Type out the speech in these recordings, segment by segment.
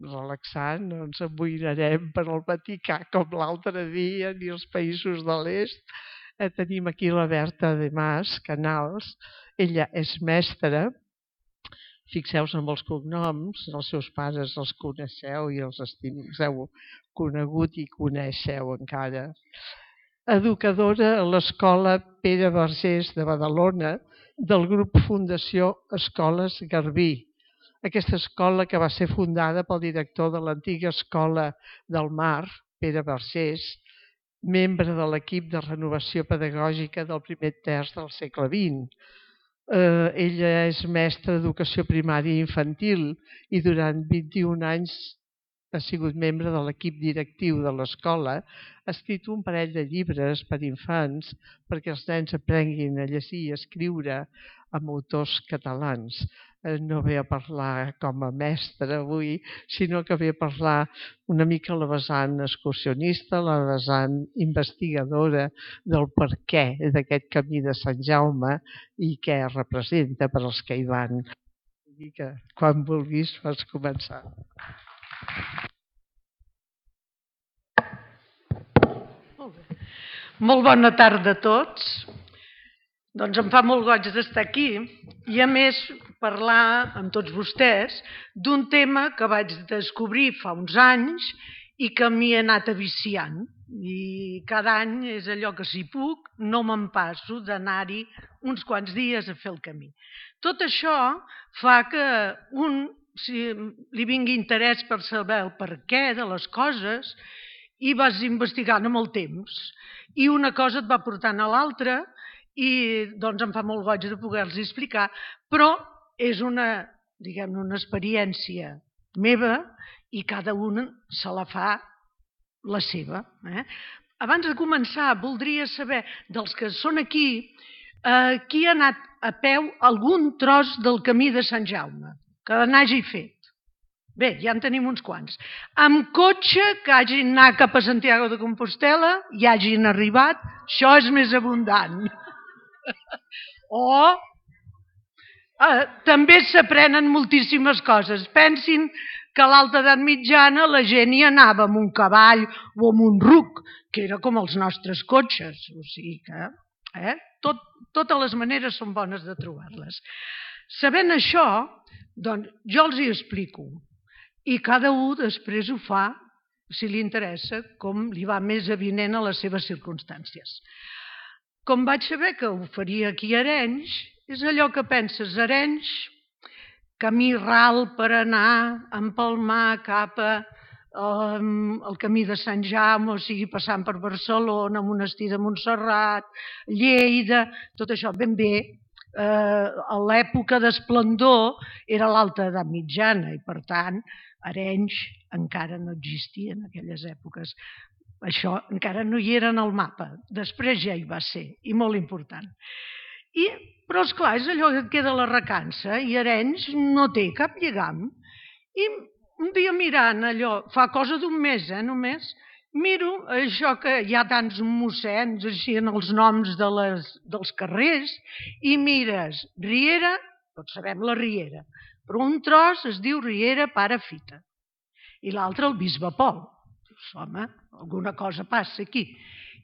relaxant, no ens amoïnarem per al Vaticà com l'altre dia, ni els països de l'est. Tenim aquí la Berta de Mas Canals, ella és mestra. Fixeu-vos en els cognoms, els seus pares els coneixeu i els heu conegut i coneixeu encara. Educadora a l'Escola Pere Vergés de Badalona, del grup Fundació Escoles Garbí. Aquesta escola que va ser fundada pel director de l'antiga Escola del Mar, Pere Vergés, membre de l'equip de renovació pedagògica del primer terç del segle XX. Ella és mestra d'educació primària i infantil i durant 21 anys ha sigut membre de l'equip directiu de l'escola. Ha escrit un parell de llibres per infants perquè els nens aprenguin a llegir i a escriure amb autors catalans. No ve a parlar com a mestra avui, sinó que ve a parlar una mica la vessant excursionista, la vessant investigadora del per què d'aquest camí de Sant Jaume i què representa per als que hi van. I que quan vulguis pots començar. Molt bona tarda a tots. Doncs em fa molt goig d'estar aquí i a més parlar amb tots vostès d'un tema que vaig descobrir fa uns anys i que m'hi he anat aviciant. I cada any és allò que si puc no me'n passo d'anar-hi uns quants dies a fer el camí. Tot això fa que li vingui interès per saber el per què de les coses i vas investigant amb el temps. I una cosa et va portant a l'altra i doncs em fa molt goig de poder-los explicar, però és una experiència meva i cada un se la fa la seva. Abans de començar, voldria saber dels que són aquí, qui ha anat a peu algun tros del camí de Sant Jaume, que n'hagi fet. Bé, ja en tenim uns quants. Amb cotxe, que hagin anat cap a Santiago de Compostela i hagin arribat, això és més abundant. També s'aprenen moltíssimes coses. Pensin que a l'alta edat mitjana la gent hi anava amb un cavall o amb un ruc, que era com els nostres cotxes. O sigui que totes les maneres són bones de trobar-les. Sabent això, doncs jo els hi explico. I cada un després ho fa, si li interessa, com li va més avinent a les seves circumstàncies. Com vaig saber que ho faria aquí a Arenys, és allò que penses, Arenys, camí ral per anar, empalmar cap al camí de Sant Jaume, o sigui, passant per Barcelona, Monestir de Montserrat, Lleida, tot això ben bé. A l'època d'esplendor era l'alta edat mitjana i, per tant, Arenys encara no existia en aquelles èpoques. Això encara no hi era en el mapa. Després ja hi va ser, i molt important. Però, esclar, és allò que et queda la recança, i Arenys no té cap lligam. I un dia mirant allò, fa cosa d'un mes, només, miro això que hi ha tants mossens així en els noms dels carrers, i mires Riera, tots sabem la Riera, però un tros es diu Riera Pare Fita i l'altre el Bisbe Pol. Dius, home, alguna cosa passa aquí.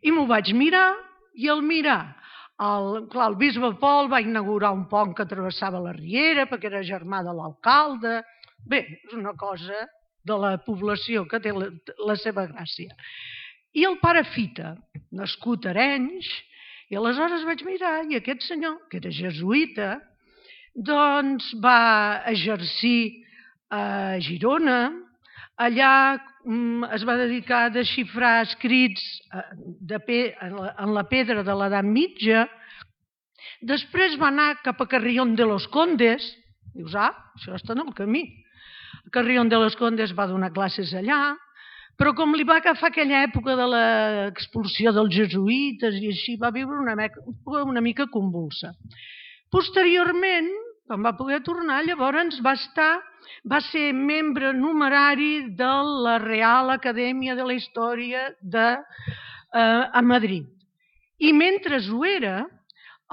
I m'ho vaig mirar i al mirar, el Bisbe Pol va inaugurar un pont que travessava la Riera perquè era germà de l'alcalde. Bé, és una cosa de la població que té la seva gràcia. I el Pare Fita, nascut a Arenys, i aleshores vaig mirar i aquest senyor, que era jesuïta, doncs va exercir a Girona, allà es va dedicar a desxifrar escrits en la pedra de l'edat mitja, després va anar cap a Carrión de los Condes, dius, això està en el camí. A Carrión de los Condes va donar classes allà, però com li va agafar aquella època de l'expulsió dels jesuïtes i així, va viure una mica convulsa. Posteriorment, quan va poder tornar, llavors va ser membre numerari de la Real Acadèmia de la Història a Madrid. I mentre ho era,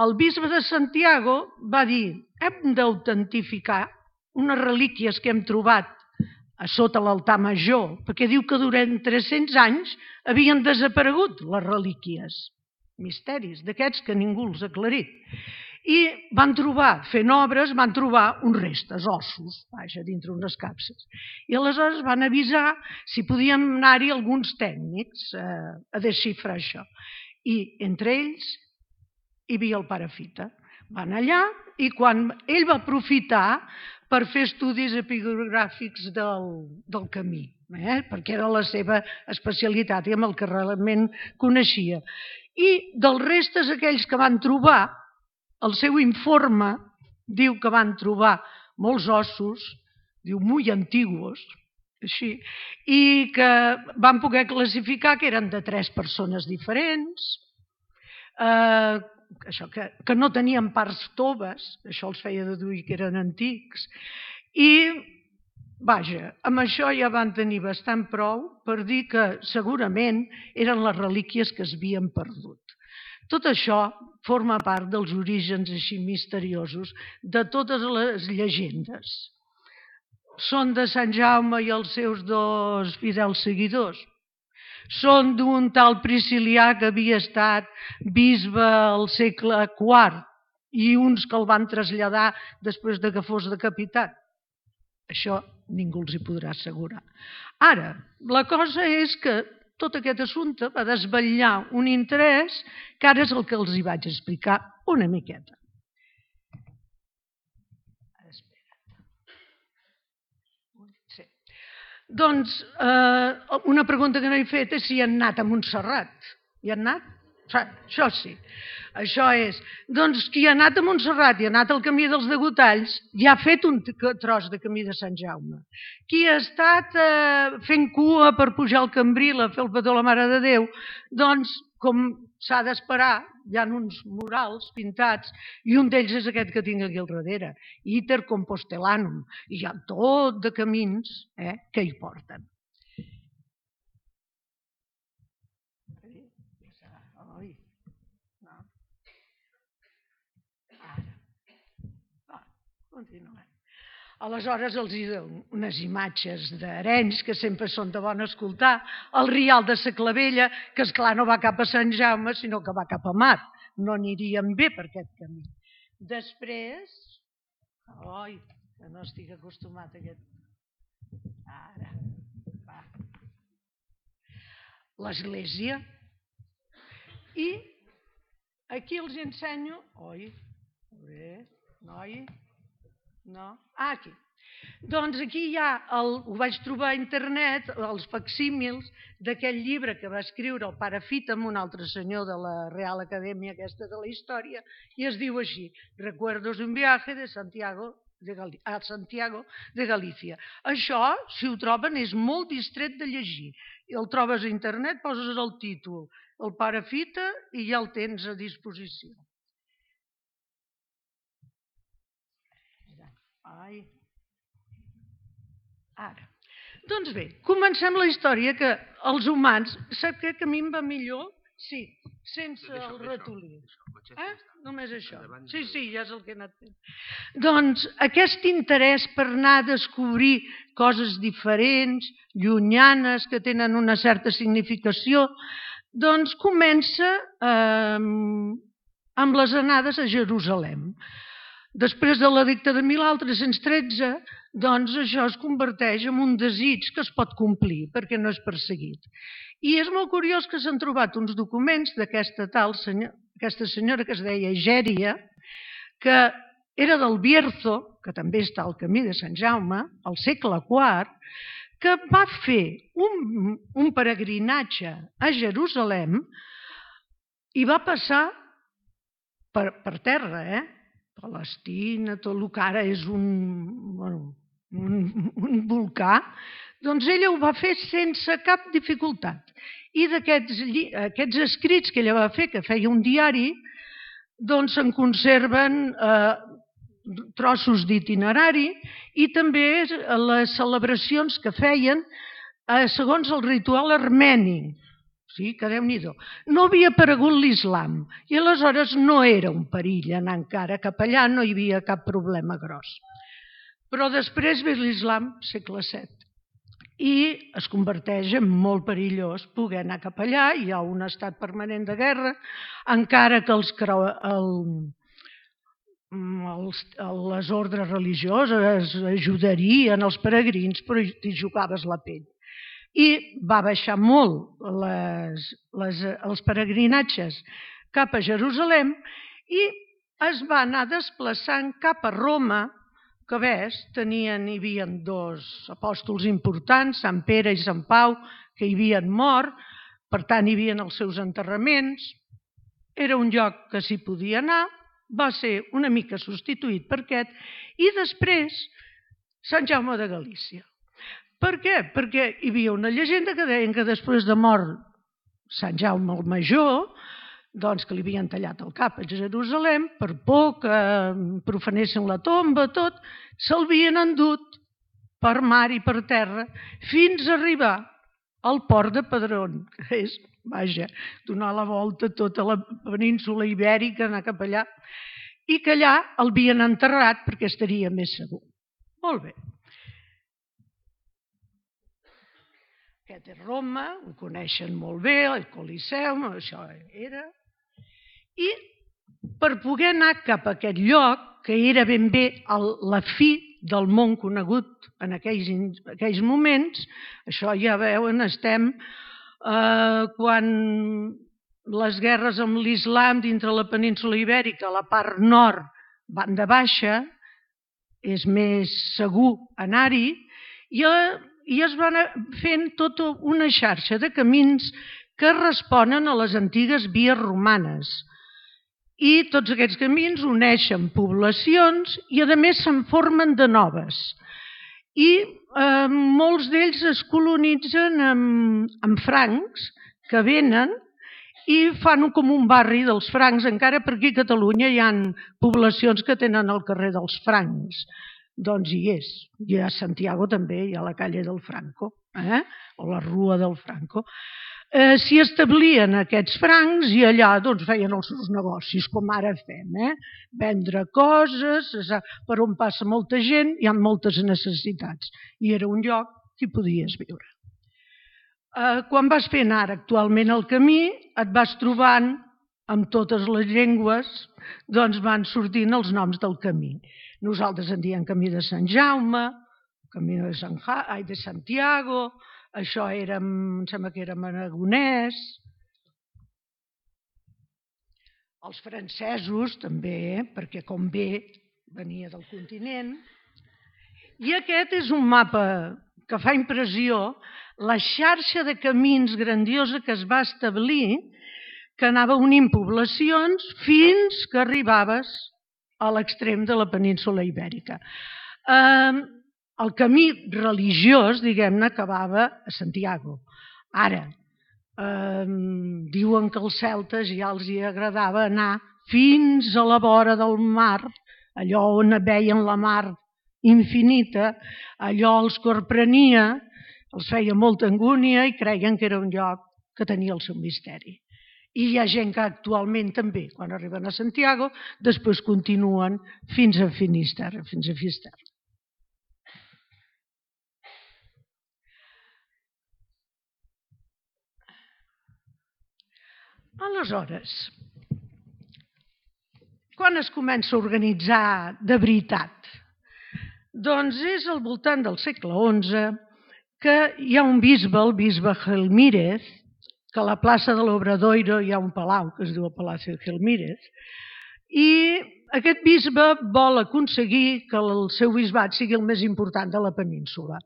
el bisbe de Santiago va dir, hem d'autentificar unes relíquies que hem trobat a sota l'altar major, perquè diu que durant 300 anys havien desaparegut les relíquies, misteris d'aquests que ningú els ha aclarit. I van trobar, fent obres, van trobar uns restes, ossos, vaja, dintre unes capses. I aleshores van avisar si podien anar-hi alguns tècnics a desxifrar això. I entre ells hi havia el pare Fita. Van allà i quan ell va aprofitar per fer estudis epigràfics del camí, perquè era la seva especialitat i amb el que realment coneixia. I dels restes aquells que van trobar, el seu informe diu que van trobar molts ossos, diu molt antiguos, així, i que van poder classificar que eren de 3 persones diferents, això que no tenien parts toves, això els feia deduir que eren antics, i vaja, amb això ja van tenir bastant prou per dir que segurament eren les relíquies que es havien perdut. Tot això forma part dels orígens així misteriosos de totes les llegendes. Són de Sant Jaume i els seus 2 fidels seguidors. Són d'un tal Priscilià que havia estat bisbe al segle IV i uns que el van traslladar després que fos decapitat. Això ningú els hi podrà assegurar. Ara, la cosa és que tot aquest assumpte va desvetllar un interès que ara és el que els hi vaig explicar una miqueta. Doncs una pregunta que no he fet és si han anat a Montserrat. Hi han anat? Això sí. Això és, doncs qui ha anat a Montserrat i ha anat al camí dels Degotalls ja ha fet un tros de camí de Sant Jaume. Qui ha estat fent cua per pujar al Cambril a fer el petó a la Mare de Déu, doncs com s'ha d'esperar, hi ha uns murals pintats i un d'ells és aquest que tinc aquí al darrere, Iter Compostelanum, i hi ha tot de camins que hi porten. Continuem. Aleshores els hi dono unes imatges d'Arenys que sempre són de bon escoltar, el Rial de sa Clavella, que esclar no va cap a Sant Jaume, sinó que va cap a Mar. No aniríem bé per aquest camí. Després, oi, que no estic acostumat a aquest... Ara, va. L'església. I aquí els ensenyo... Oi, bé, noi... No? Aquí. Doncs aquí hi ha, ho vaig trobar a internet, els facsímils d'aquest llibre que va escriure el pare Fita amb un altre senyor de la Real Acadèmia aquesta de la Història, i es diu així, Recuerdos d'un viaje de Santiago de Galícia. Això, si ho troben, és molt distret de llegir. El trobes a internet, poses el títol, el pare Fita, i ja el tens a disposició. Ara. Doncs bé, comencem la història que els humans... Sap què? Que a mi em va millor? Sí, sense el ratolí. Només això. Sí, ja és el que he anat fent. Doncs aquest interès per anar a descobrir coses diferents, llunyanes, que tenen una certa significació, doncs comença amb les anades a Jerusalem. Després de l'edicte de Milà, el 313, doncs això es converteix en un desig que es pot complir perquè no és perseguit. I és molt curiós que s'han trobat uns documents d'aquesta senyora que es deia Egèria, que era del Bierzo, que també està al camí de Sant Jaume, al segle IV, que va fer un peregrinatge a Jerusalem i va passar per terra, Palestina, tot el que ara és un volcà, doncs ella ho va fer sense cap dificultat. I d'aquests escrits que ella va fer, que feia un diari, doncs se'n conserven trossos d'itinerari i també les celebracions que feien segons el ritual armeni. Sí, que Déu-n'hi-do. No havia aparegut l'islam i aleshores no era un perill anar encara cap allà, no hi havia cap problema gros. Però després ve l'islam, segle VII. i es converteix en molt perillós poder anar cap allà. Hi ha un estat permanent de guerra, encara que les ordres religioses ajudarien els peregrins, però t'hi jugaves la pell. I va baixar molt els peregrinatges cap a Jerusalem i es va anar desplaçant cap a Roma, que ves, hi havia dos apòstols importants, Sant Pere i Sant Pau, que hi havien mort, per tant hi havia els seus enterraments, era un lloc que s'hi podia anar, va ser una mica substituït per aquest, i després Sant Jaume de Galícia. Per què? Perquè hi havia una llegenda que deien que després de mort Sant Jaume el Major, doncs que li havien tallat el cap a Jerusalem, per por que profanessin la tomba, tot, se'l havien endut per mar i per terra fins a arribar al port de Padrón, que és, vaja, donar la volta a tota la península ibèrica, anar cap allà, i que allà el havien enterrat perquè estaria més segur. Molt bé. Aquest és Roma, ho coneixen molt bé, el Coliseum, això era. I per poder anar cap a aquest lloc, que era ben bé la fi del món conegut en aquells moments, això ja veuen, estem quan les guerres amb l'islam dintre la península ibèrica, la part nord van de baixa, és més segur anar-hi, i es van fent tota una xarxa de camins que responen a les antigues vies romanes. I tots aquests camins uneixen poblacions i a més se'n formen de noves. I molts d'ells es colonitzen amb francs que venen i fan com un barri dels francs. Encara per aquí a Catalunya hi ha poblacions que tenen el carrer dels francs. Doncs hi és. I a Santiago també hi ha la calle del Franco, o la rua del Franco. S'hi establien aquests francs i allà feien els seus negocis, com ara fem. Vendre coses, per on passa molta gent, hi ha moltes necessitats. I era un lloc que hi podies viure. Quan vas fent ara actualment el camí, et vas trobant amb totes les llengües, doncs van sortint els noms del camí. Nosaltres en diem camí de Sant Jaume, camí de Santiago, això era, em sembla que era aragonès. Els francesos també, perquè com bé venia del continent. I aquest és un mapa que fa impressió, la xarxa de camins grandiosa que es va establir, que anava unint poblacions fins que arribaves a l'extrem de la península ibèrica. El camí religiós, diguem-ne, acabava a Santiago. Ara, diuen que als celtes ja els agradava anar fins a la vora del mar, allò on veien la mar infinita, allò els corprenia, els feia molta angúnia i creien que era un lloc que tenia el seu misteri. I hi ha gent que actualment també, quan arriben a Santiago, després continuen fins a Finisterre, fins a Fisterra. Aleshores, quan es comença a organitzar de veritat? Doncs és al voltant del segle XI que hi ha un bisbe, el bisbe Gelmírez, que a la plaça de l'Obradoiro hi ha un palau que es diu el Palacio Gelmírez, i aquest bisbe vol aconseguir que el seu bisbat sigui el més important de la península.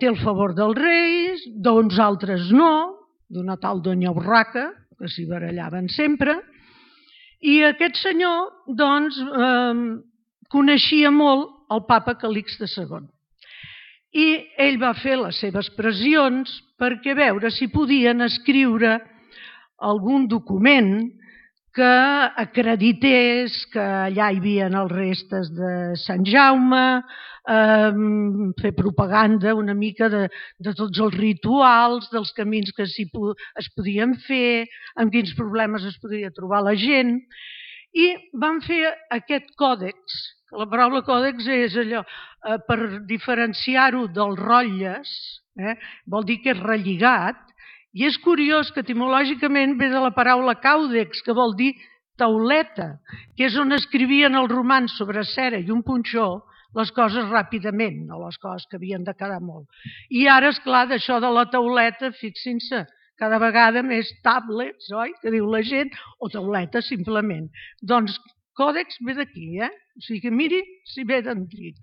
Té el favor dels reis, d'uns altres no, d'una tal Doña Urraca, que s'hi barallaven sempre, i aquest senyor doncs coneixia molt el papa Calixte II. I ell va fer les seves pressions perquè veure si podien escriure algun document que acredités que allà hi havia els restes de Sant Jaume, fer propaganda una mica de tots els rituals, dels camins que es podien fer, amb quins problemes es podria trobar la gent. I van fer aquest còdex, que la paraula còdex és allò, per diferenciar-ho dels rotlles, vol dir que és relligat, i és curiós que etimològicament ve de la paraula càudex, que vol dir tauleta, que és on escrivien els romans sobre cera i un punxó les coses ràpidament, no les coses que havien de quedar molt. I ara, esclar, d'això de la tauleta, fixin-se, cada vegada més tablets, oi?, que diu la gent, o tauleta simplement. Doncs còdex ve d'aquí, o sigui que miri si ve d'antic.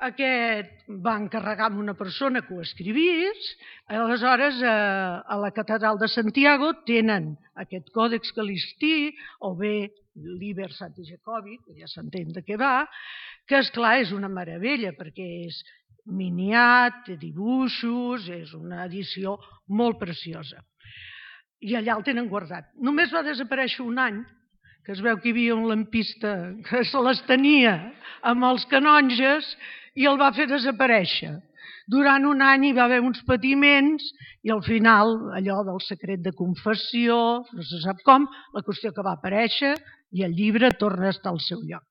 Aquest va encarregar amb una persona que ho escrivís, aleshores a la catedral de Santiago tenen aquest còdex calistí, o bé l'Iber Santi Jacobi, que ja s'entén de què va, que esclar és una meravella perquè és miniat, té dibuixos, és una edició molt preciosa. I allà el tenen guardat. Només va desaparèixer un any, que es veu que hi havia un lampista que se les tenia amb els canonges i el va fer desaparèixer. Durant un any hi va haver uns patiments i al final allò del secret de confessió, no se sap com, la qüestió que va aparèixer i el llibre torna a estar al seu lloc.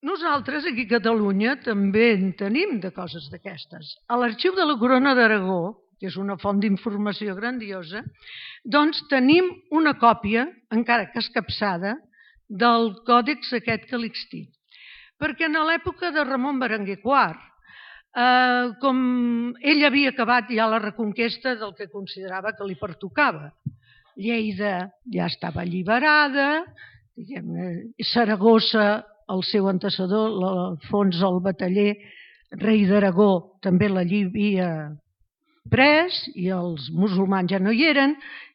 Nosaltres aquí a Catalunya també en tenim de coses d'aquestes. A l'Arxiu de la Corona d'Aragó, que és una font d'informació grandiosa, doncs tenim una còpia, encara que escapçada, del còdex aquest calixtí. Perquè en l'època de Ramon Berenguer IV, com ell havia acabat ja la reconquesta del que considerava que li pertocava, Lleida ja estava alliberada, Saragossa, el seu antecessor, l'Alfons el Bataller, rei d'Aragó, també l'havia pres i els musulmans ja no hi eren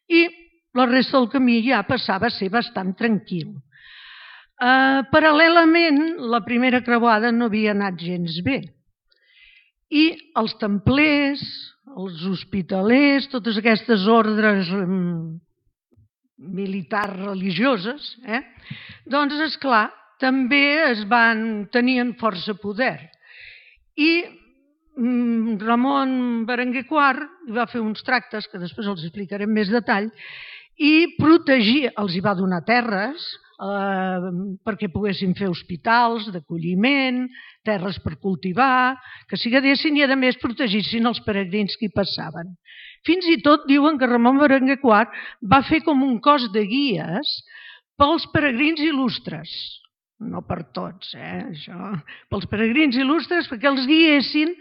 i la resta del camí ja passava a ser bastant tranquil. Paral·lelament, la primera creuada no havia anat gens bé i els templers, els hospitalers, totes aquestes ordres militars religioses, doncs, esclar, també tenien força poder. I Ramon Berenguer IV va fer uns tractes, que després els explicaré en més detall, i protegir, els hi va donar terres perquè poguessin fer hospitals d'acolliment, terres per cultivar, que s'hi quedessin i a més protegissin els peregrins que hi passaven. Fins i tot diuen que Ramon Berenguer IV va fer com un cos de guies pels peregrins il·lustres, no per tots, això, pels peregrins il·lustres perquè els guiessin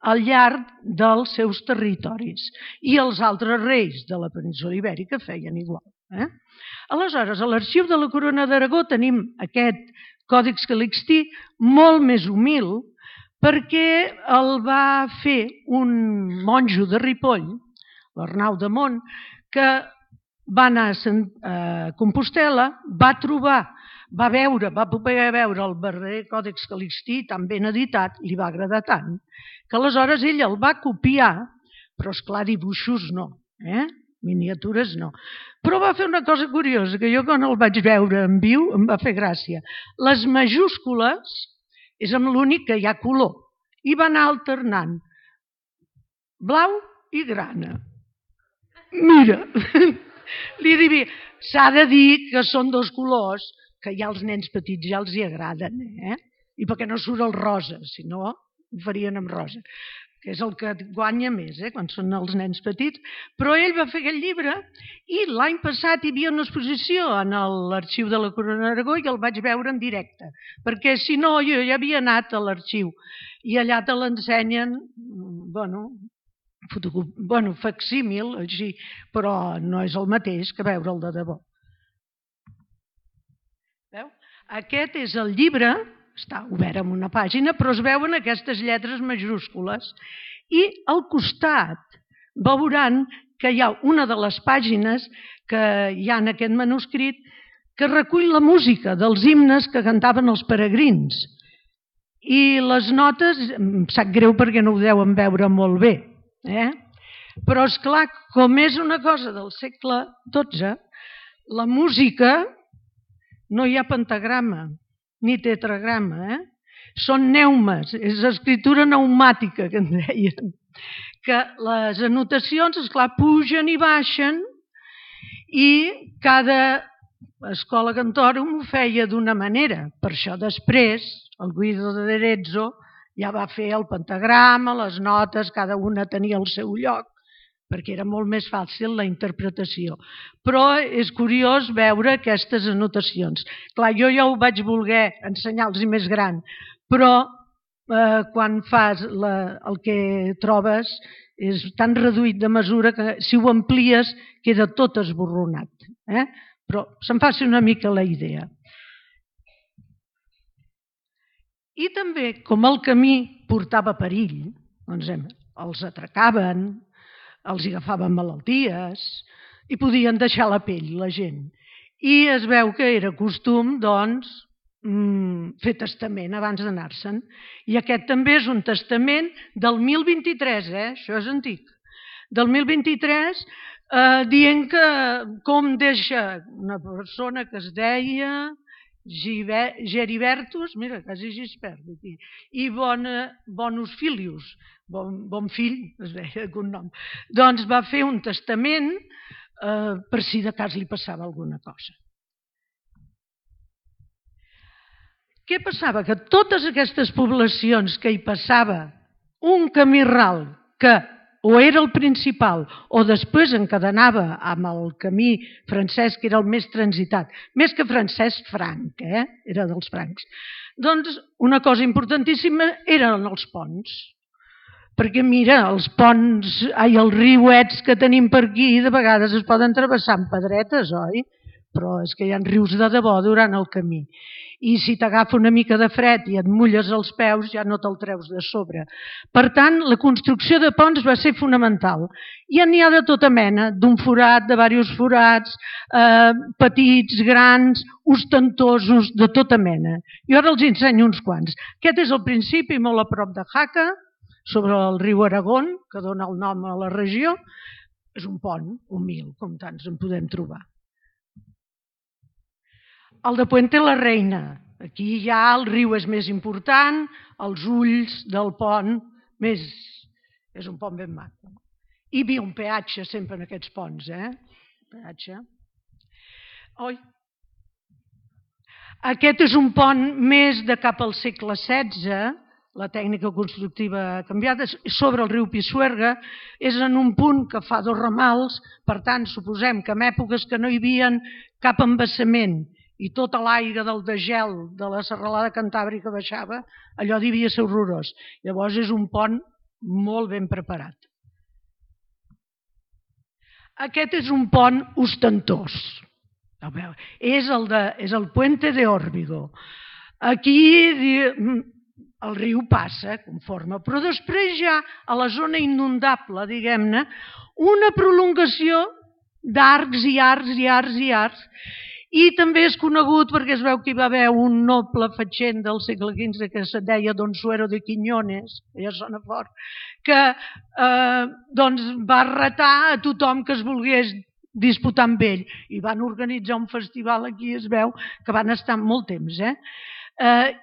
al llarg dels seus territoris i els altres reis de la península Ibèrica feien igual. Aleshores, a l'Arxiu de la Corona d'Aragó tenim aquest còdex calixtí molt més humil perquè el va fer un monjo de Ripoll, l'Arnau de Mont, que va anar a Compostel·la, va poder veure el verdader còdex calixtí tan ben editat, li va agradar tant, que aleshores ell el va copiar, però esclar dibuixos no, miniatures no. Però va fer una cosa curiosa, que jo quan el vaig veure en viu em va fer gràcia. Les majúscules és amb l'únic que hi ha color i va anar alternant blau i grana. Mira, s'ha de dir que són dos colors que ja als nens petits ja els hi agraden, i perquè no surt el rosa, si no ho farien amb rosa, que és el que guanya més quan són els nens petits. Però ell va fer aquest llibre i l'any passat hi havia una exposició a l'Arxiu de la Corona d'Aragó i el vaig veure en directe, perquè si no jo ja havia anat a l'arxiu i allà te l'ensenyen, facsímil, així, però no és el mateix que veure'l de debò. Veu? Aquest és el llibre, està obert en una pàgina, però es veuen aquestes lletres majúscules i al costat veuran que hi ha una de les pàgines que hi ha en aquest manuscrit que recull la música dels himnes que cantaven els peregrins. I les notes, em sap greu perquè no ho deuen veure molt bé, però esclar, com és una cosa del segle XII, la música no hi ha pentagrama ni tetragrama, són neumes, és escritura pneumàtica que en deien, que les anotacions, esclar, pugen i baixen I cada escola Cantorum ho feia d'una manera. Per això després el Guido d'Arezzo ja va fer el pentagrama, les notes, cada una tenia el seu lloc, perquè era molt més fàcil la interpretació. Però és curiós veure aquestes anotacions. Clar, jo ja ho vaig voler ensenyar-los més gran, però quan fas el que trobes és tan reduït de mesura que si ho amplies queda tot esborronat. Però se'n faci una mica la idea. I també, com el camí portava perill, doncs els atracaven, els agafaven malalties i podien deixar la pell, la gent. I es veu que era costum, doncs, fer testament abans d'anar-se'n. I aquest també és un testament del 1023, això és antic. Del 1023, dient que com deixa una persona que es deia Geribertus, mira, quasi Gispert, i Bonus Filius, bon fill, es deia algun nom, doncs va fer un testament per si de cas li passava alguna cosa. Què passava? Que totes aquestes poblacions que hi passava un camí ral que o era el principal o després encadenava amb el camí francès, que era el més transitat, més que francès, franc, era dels francs. Doncs una cosa importantíssima eren els ponts, perquè mira, els ponts, els riuets que tenim per aquí de vegades es poden travessar amb pedretes, oi? Però és que hi ha rius de debò durant el camí. I si t'agafa una mica de fred i et mulles els peus, ja no te'l treus de sobre. Per tant, la construcció de ponts va ser fonamental. I n'hi ha de tota mena, d'un forat, de diversos forats, petits, grans, ostentosos, de tota mena. Jo ara els ensenyo uns quants. Aquest és el principi, molt a prop de Jaca, sobre el riu Aragón, que dona el nom a la regió. És un pont humil, com tants en podem trobar. El de Puente la Reina. Aquí ja el riu és més important, els ulls del pont és un pont ben maco. Hi havia un peatge sempre en aquests ponts, peatge. Aquest és un pont més de cap al segle XVI, la tècnica constructiva ha canviat, sobre el riu Pisuerga, és en un punt que fa 2 ramals, per tant, suposem que en èpoques que no hi havia cap embassament i tot l'aire del degel de la serralada cantàbrica baixava, allò devia ser horrorós. Llavors és un pont molt ben preparat. Aquest és un pont ostentós. És el Puente de Órbigo. Aquí el riu passa conforme, però després ja a la zona inundable, diguem-ne, una prolongació d'arcs i arcs i arcs i arcs. I també és conegut perquè es veu que hi va haver un noble fatxent del segle XV que se deia Don Suero de Quiñones, ja sona fort, que va retar a tothom que es volgués disputar amb ell. I van organitzar un festival aquí, es veu que van estar molt temps.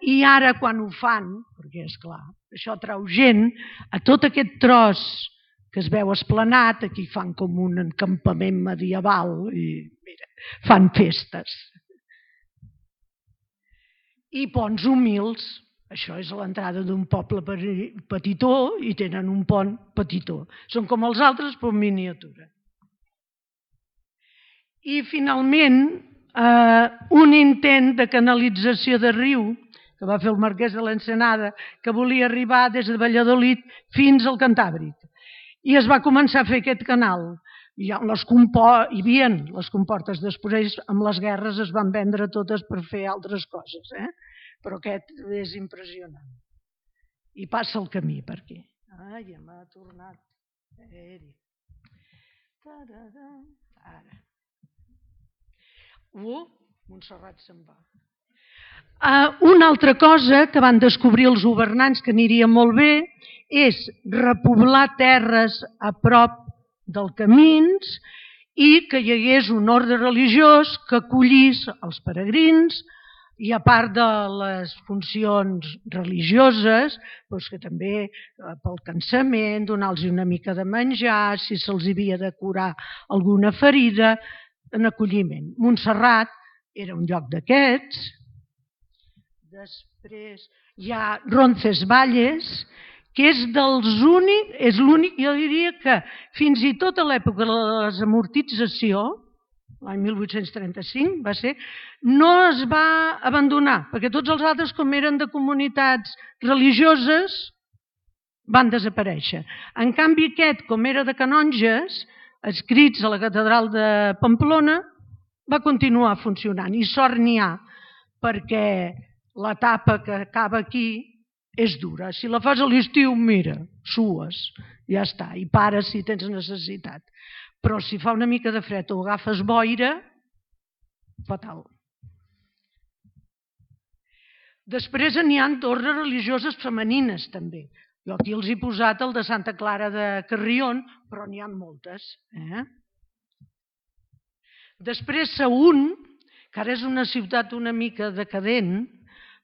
I ara quan ho fan, perquè és clar, això trau gent, a tot aquest tros que es veu esplanat, aquí fan com un encampament medieval i mira, fan festes. I ponts humils, això és l'entrada d'un poble petitó i tenen un pont petitó. Són com els altres però en miniatura. I finalment, un intent de canalització de riu que va fer el marquès de l'Ensenada, que volia arribar des de Valladolid fins al Cantàbric. I es va començar a fer aquest canal. Hi havia les comportes, després amb les guerres es van vendre totes per fer altres coses, però aquest és impressionant. I passa el camí per aquí. Ai, ja m'ha tornat. Ara. Montserrat se'n va. Una altra cosa que van descobrir els governants que aniria molt bé és repoblar terres a prop dels camins i que hi hagués un ordre religiós que acollís els peregrins i a part de les funcions religioses, que també pel cansament, donar-los una mica de menjar, si se'ls havia de curar alguna ferida, en acolliment. Montserrat era un lloc d'aquests. Després hi ha Roncesvalles, que és l'únic, jo diria que fins i tot a l'època de la desamortització, l'any 1835 va ser, no es va abandonar, perquè tots els altres, com eren de comunitats religioses, van desaparèixer. En canvi aquest, com era de canonges, escrits a la catedral de Pamplona, va continuar funcionant. I sort n'hi ha, perquè l'etapa que acaba aquí és dura. Si la fas a l'estiu, mira, sues, ja està, i pares si tens necessitat. Però si fa una mica de fred o agafes boira, fatal. Després n'hi ha torres religioses femenines, també. Jo aquí els he posat el de Santa Clara de Carrion, però n'hi ha moltes. Després Sagunt, que ara és una ciutat una mica decadent,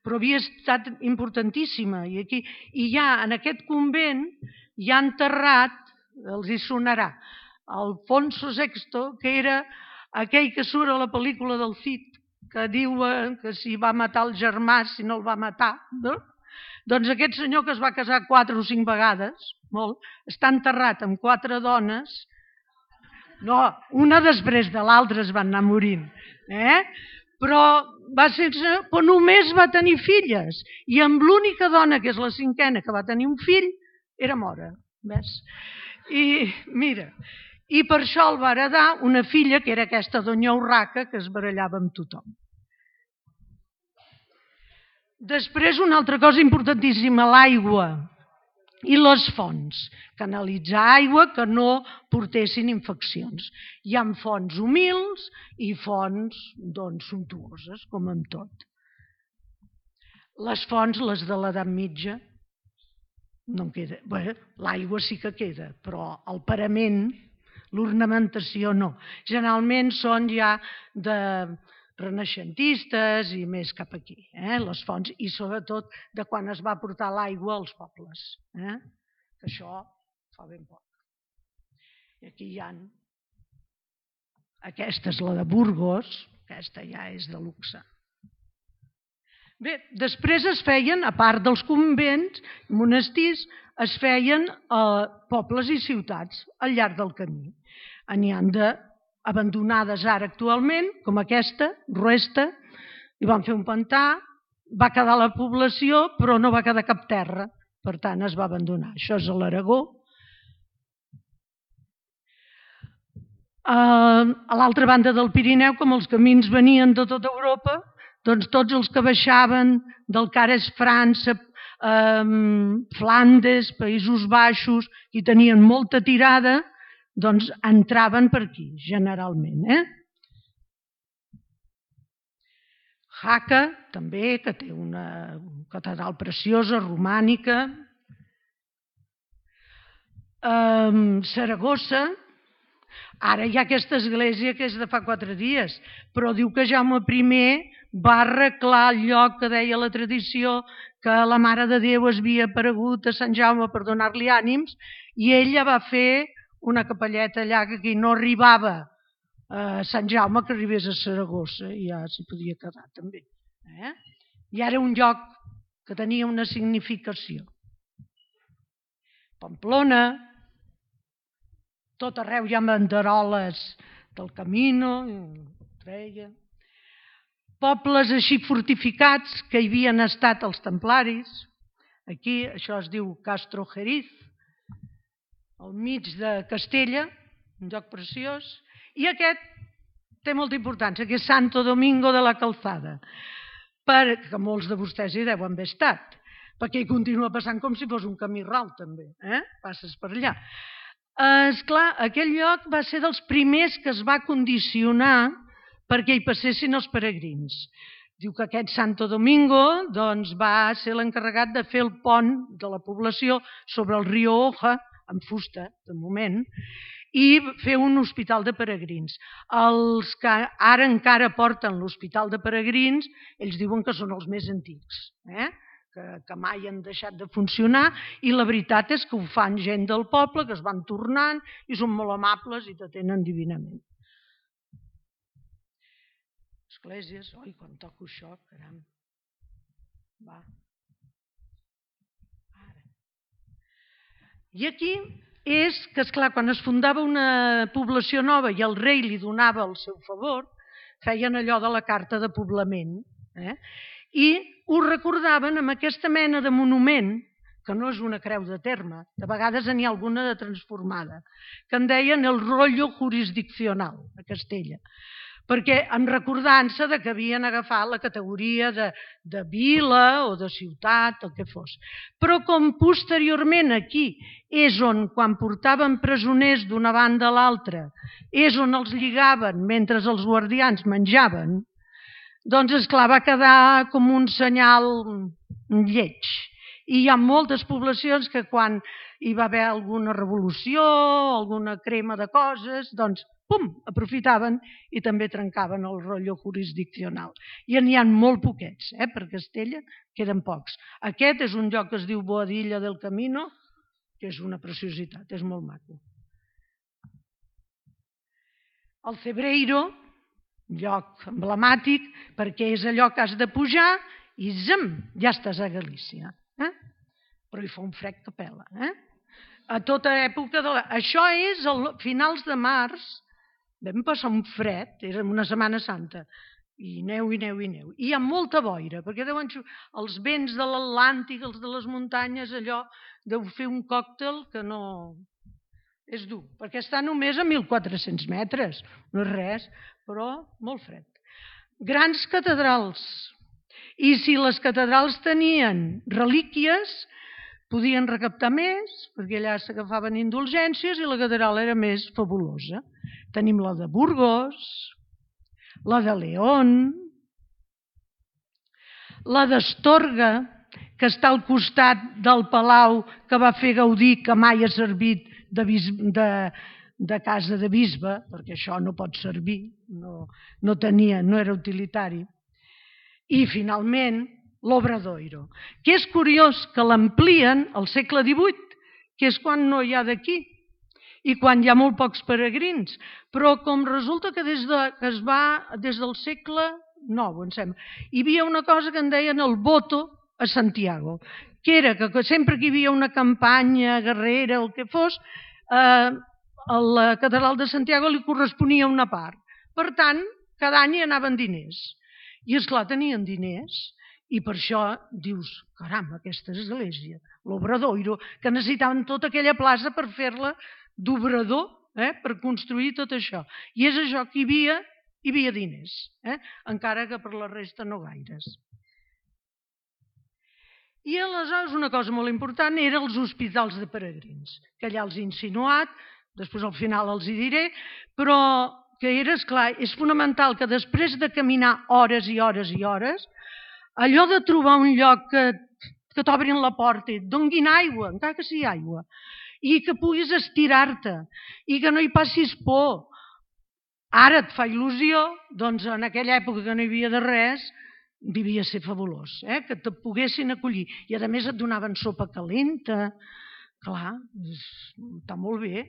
però havia estat importantíssima. I hi ha, en aquest convent, hi ha enterrat, els hi sonarà, Alfonso VI, que era aquell que surt a la pel·lícula del Cid, que diuen que si va matar el germà, si no el va matar, no? Doncs aquest senyor que es va casar 4 o 5 vegades, molt, està enterrat amb 4 dones, no, una després de l'altra es van anar morint, però només va tenir filles, i amb l'única dona, que és la 5a, que va tenir un fill, era mora, ves? I mira, i per això el va heredar una filla, que era aquesta Doña Urraca, que es barallava amb tothom. Després, una altra cosa importantíssima, l'aigua i les fonts. Canalitzar aigua que no portessin infeccions. Hi ha fonts humils i fonts sumptuoses, com amb tot. Les fonts, les de l'edat mitja, no en queda. Bé, l'aigua sí que queda, però el parament, l'ornamentació no. Generalment són ja de renaixentistes i més cap aquí, les fonts, i sobretot de quan es va portar l'aigua als pobles. Que això fa ben poc. I aquí hi ha... Aquesta és la de Burgos, aquesta ja és de luxe. Bé, després es feien, a part dels convents, monestirs, es feien pobles i ciutats al llarg del camí. N'hi han abandonades ara actualment, com aquesta, Ruesta, i van fer un pantà, va quedar la població, però no va quedar cap terra, per tant es va abandonar. Això és a l'Aragó. A l'altra banda del Pirineu, com els camins venien de tota Europa, doncs tots els que baixaven del que ara és França, Flandes, Països Baixos, i tenien molta tirada, doncs entraven per aquí, generalment. Jaca, també, que té una catedral preciosa, romànica. Saragossa, ara hi ha aquesta església que és de fa 4 dies, però diu que Jaume I va arreglar el lloc que deia la tradició que la Mare de Déu es havia aparegut a Sant Jaume per donar-li ànims, i ella va fer una capelleta allà que aquí no arribava a Sant Jaume, que arribés a Saragossa, i ja s'hi podia quedar també. I ara un lloc que tenia una significació. Pamplona, tot arreu hi ha banderoles del Camino, pobles així fortificats que hi havien estat els templaris. Aquí, això es diu Castro Jeriz, al mig de Castella, un lloc preciós, i aquest té molta importància, que és Santo Domingo de la Calzada, perquè molts de vostès hi deuen haver estat, perquè hi continua passant com si fos un camí ral també, passes per allà. Esclar, aquell lloc va ser dels primers que es va condicionar perquè hi passessin els peregrins. Diu que aquest Santo Domingo va ser l'encarregat de fer el pont de la població sobre el riu Oja, amb fusta, de moment, i fer un hospital de peregrins. Els que ara encara porten l'hospital de peregrins, ells diuen que són els més antics, que mai han deixat de funcionar, i la veritat és que ho fan gent del poble, que es van tornant, i són molt amables i t'atenen divinament. esglésies. Oi, quan toco això, caram. Va. Ara. I aquí és que, esclar, quan es fundava una població nova i el rei li donava el seu favor, feien allò de la carta de poblament, i ho recordaven amb aquesta mena de monument, que no és una creu de terme, de vegades n'hi ha alguna de transformada, que en deien el rollo jurisdiccional a Castella, perquè en recordança que havien agafat la categoria de vila o de ciutat, el que fos. Però com posteriorment aquí és on, quan portaven presoners d'una banda a l'altra, és on els lligaven mentre els guardians menjaven, doncs, esclar, va quedar com un senyal lleig. I hi ha moltes poblacions que quan hi va haver alguna revolució, alguna crema de coses, doncs, pum, aprofitaven i també trencaven el rotllo jurisdiccional. I n'hi ha molt poquets, per Castella queden pocs. Aquest és un lloc que es diu Boadilla del Camino, que és una preciositat, és molt maco. El Cebreiro, lloc emblemàtic, perquè és allò que has de pujar i ja estàs a Galícia. Però hi fa un fred que pela. A tota època Això és a finals de març, vam passar un fred, era una Setmana Santa, i neu, i neu, i neu. I hi ha molta boira, perquè deuen els vents de l'Atlàntic, els de les muntanyes, allò, deu fer un còctel que no... És dur, perquè està només a 1.400 metres, no és res, però molt fred. Grans catedrals. I si les catedrals tenien relíquies, podien recaptar més, perquè allà s'agafaven indulgències i la catedral era més fabulosa. Tenim la de Burgos, la de León, la d'Astorga, que està al costat del palau que va fer Gaudí, que mai ha servit de casa de bisbe, perquè això no pot servir, no era utilitari. I finalment l'Obradoiro, que és curiós que l'amplien al segle XVIII, que és quan no hi ha d'aquí i quan hi ha molt pocs peregrins, però com resulta que des del segle IX, em sembla, hi havia una cosa que en deien el voto a Santiago, que era que sempre que hi havia una campanya guerrera o el que fos, a la catedral de Santiago li corresponia una part. Per tant, cada any hi anaven diners. I, esclar, tenien diners, i per això dius, caram, aquesta església, l'Obradoiro, que necessitaven tota aquella plaça per fer-la d'obrador, per construir tot això. I és això que hi havia diners, encara que per la resta no gaires. I aleshores una cosa molt important eren els hospitals de peregrins, que allà els he insinuat, després al final els hi diré, però que era, esclar, és fonamental que després de caminar hores i hores i hores, allò de trobar un lloc que t'obrin la porta i et donguin aigua, encara que sigui aigua, i que puguis estirar-te, i que no hi passis por. Ara et fa il·lusió, doncs en aquella època que no hi havia de res, devia ser fabulós, que te poguessin acollir. I a més et donaven sopa calenta, clar, està molt bé.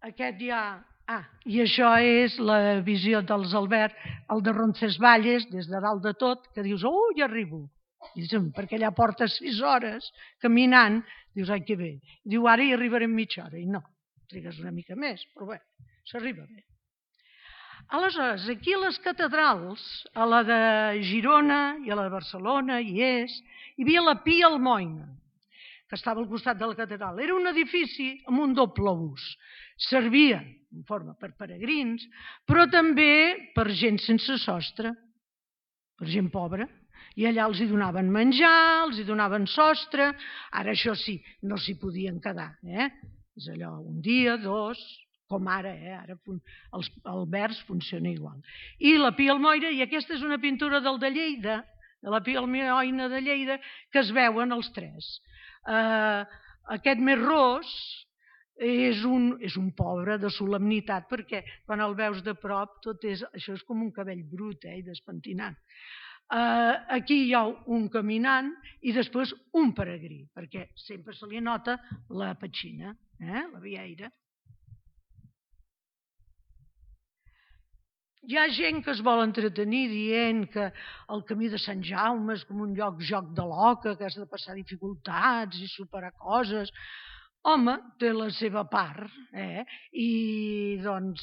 Aquest ja... i això és la visió dels Albert, el de Roncesvalles, des de dalt de tot, que dius, ja arribo. Perquè allà portes 6 hores caminant, dius, ai, que bé. Diu, ara hi arribaré en mitja hora. I no, trigues una mica més, però bé, s'arriba bé. Aleshores, aquí a les catedrals, a la de Girona i a la de Barcelona, hi havia la Pia Almoina, que estava al costat de la catedral. Era un edifici amb un doble ús. Servia en forma per peregrins, però també per gent sense sostre, per gent pobra. I allà els hi donaven menjar, els hi donaven sostre. Ara això sí, no s'hi podien quedar. És allò, un dia, 2, com ara. Ara els albergs funciona igual. I la Pia Almoina, i aquesta és una pintura del de Lleida, de la Pia Almoina de Lleida, que es veuen els 3. Aquest més ros és un pobre de solemnitat, perquè quan el veus de prop això és com un cabell brut i despentinat. Aquí hi ha un caminant i després un peregrí, perquè sempre se li nota la petxina, la vieira. Hi ha gent que es vol entretenir dient que el camí de Sant Jaume és com un joc de l'oca, que has de passar dificultats i superar coses. Home, té la seva part, I doncs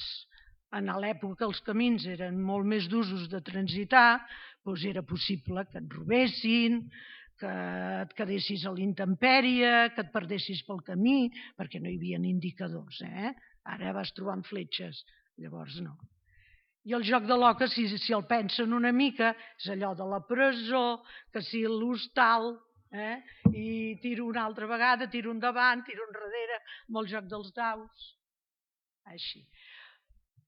en l'època els camins eren molt més d'usos de transitar, doncs era possible que et robessin, que et quedessis a l'intempèrie, que et perdessis pel camí, perquè no hi havia indicadors. Ara vas trobant fletxes, llavors no. I el joc de l'oca, si el pensen una mica, és allò de la presó, que si l'hostal, i tiro una altra vegada, tiro endavant, tiro enrere, amb el joc dels daus. Així.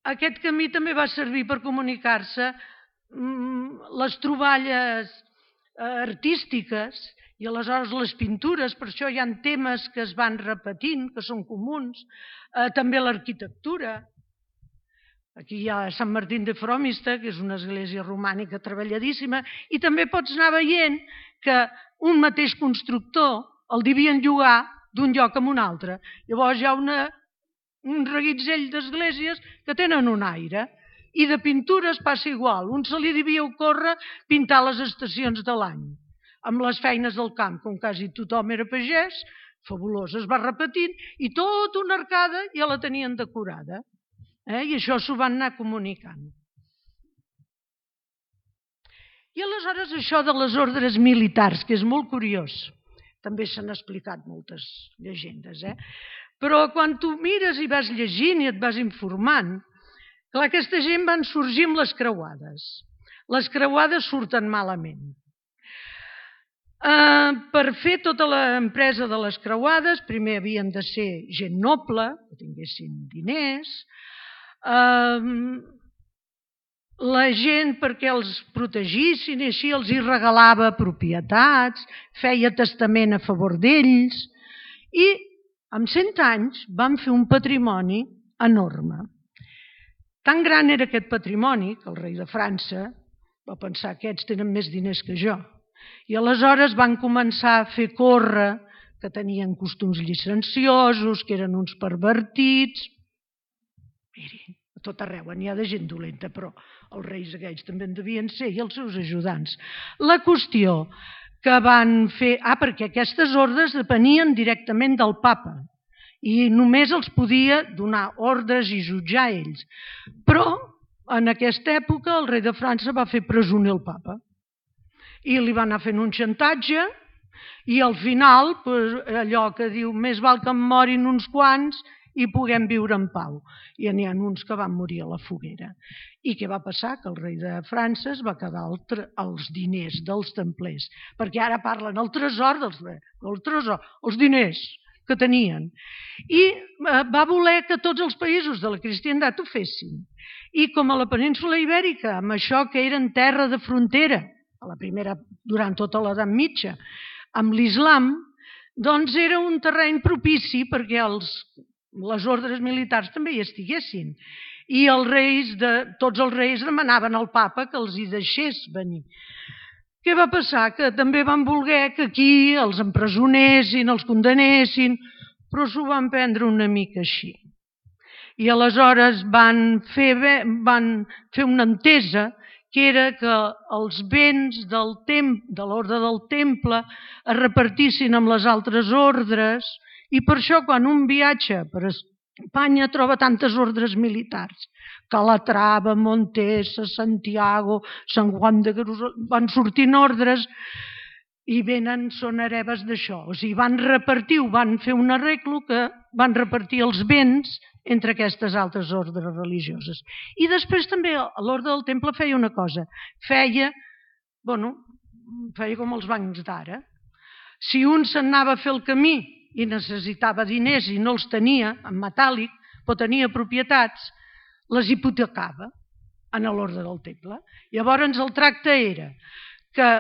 Aquest camí també va servir per comunicar-se les troballes artístiques i aleshores les pintures, per això hi ha temes que es van repetint, que són comuns, també l'arquitectura. Aquí hi ha Sant Martín de Fromista, que és una església romànica treballadíssima, i també pots anar veient que un mateix constructor el devien llogar d'un lloc a un altre. Llavors hi ha un reguitzell d'esglésies que tenen un aire. I de pintures passa igual. Un se li devia ocórrer pintar les estacions de l'any. Amb les feines del camp, com quasi tothom era pagès, fabulós, es va repetint, i tota una arcada ja la tenien decorada. I això s'ho van anar comunicant. I aleshores això de les ordres militars, que és molt curiós, també s'han explicat moltes llegendes, però quan tu mires i vas llegint i et vas informant, clar, aquesta gent van sorgir amb les creuades. Les creuades surten malament. Per fer tota l'empresa de les creuades, primer havien de ser gent noble, que tinguessin diners, la gent perquè els protegissin i així els hi regalava propietats, feia testament a favor d'ells i en 100 anys van fer un patrimoni enorme. Tan gran era aquest patrimoni que el rei de França va pensar que aquests tenen més diners que jo i aleshores van començar a fer córrer que tenien costums llicenciosos, que eren uns pervertits. Miri, a tot arreu n'hi ha de gent dolenta, però els reis aquells també en devien ser i els seus ajudants. La qüestió que van fer... perquè aquestes ordres depenien directament del papa i només els podia donar ordres i jutjar ells. Però en aquesta època el rei de França va fer presoner el papa i li va anar fent un xantatge i al final allò que diu més val que em morin uns quants i puguem viure en pau. I n'hi ha uns que van morir a la foguera. I què va passar? Que el rei de França es va quedar els diners dels templers, perquè ara parlen el tresor, els diners que tenien. I va voler que tots els països de la cristiandat ho fessin. I com a la península Ibèrica, amb això que eren terra de frontera, a la primera, durant tota l'edat mitja, amb l'islam, doncs era un terreny propici perquè les ordres militars també hi estiguessin. I tots els reis demanaven al papa que els hi deixés venir. Què va passar? Que també van voler que aquí els empresonessin, els condenessin, però s'ho van prendre una mica així. I aleshores van fer una entesa que era que els béns de l'ordre del temple es repartissin amb les altres ordres i per això quan un viatja per Espanya troba tantes ordres militars. Calatrava, Montesa, Santiago, Sant Juan de Jerusalem, van sortint ordres i són hereves d'això. O sigui, van repartir, van fer un arreglo que van repartir els béns entre aquestes altres ordres religioses. I després també l'ordre del temple feia una cosa, feia com els bancs d'ara. Si un s'anava a fer el camí i necessitava diners i no els tenia en metàl·lic, però tenia propietats, les hipotecava en l'ordre del temple. Llavors el tracte era que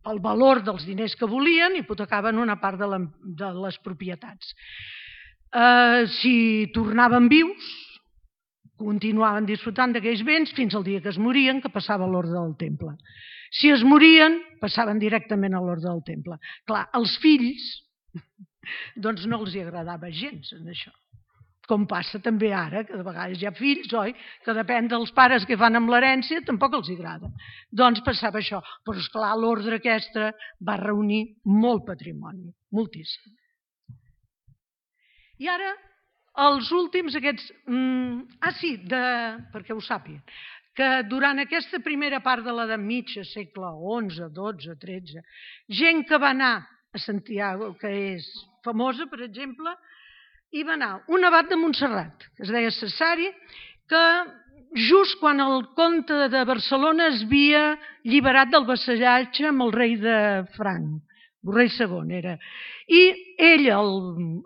el valor dels diners que volien hipotecaven una part de les propietats. Si tornaven vius, continuaven disfrutant d'aquells béns fins al dia que es morien, que passava a l'ordre del temple. Si es morien, passaven directament a l'ordre del temple. Clar, als fills doncs no els agradava gens en això. com passa també ara, que de vegades hi ha fills, oi, que depèn dels pares que fan amb l'herència, tampoc els agrada. Doncs passava això. Però, esclar, l'ordre aquesta va reunir molt patrimoni, moltíssim. I ara, els últims aquests... perquè ho sàpiguen, que durant aquesta primera part de l'edat mitja, segle XI, XII, XIII, gent que va anar a Santiago, que és famosa, per exemple, hi va anar un abat de Montserrat, que es deia Cesari, que just quan el comte de Barcelona es havia alliberat del vassallatge amb el rei de Franc, el rei II era, i ell,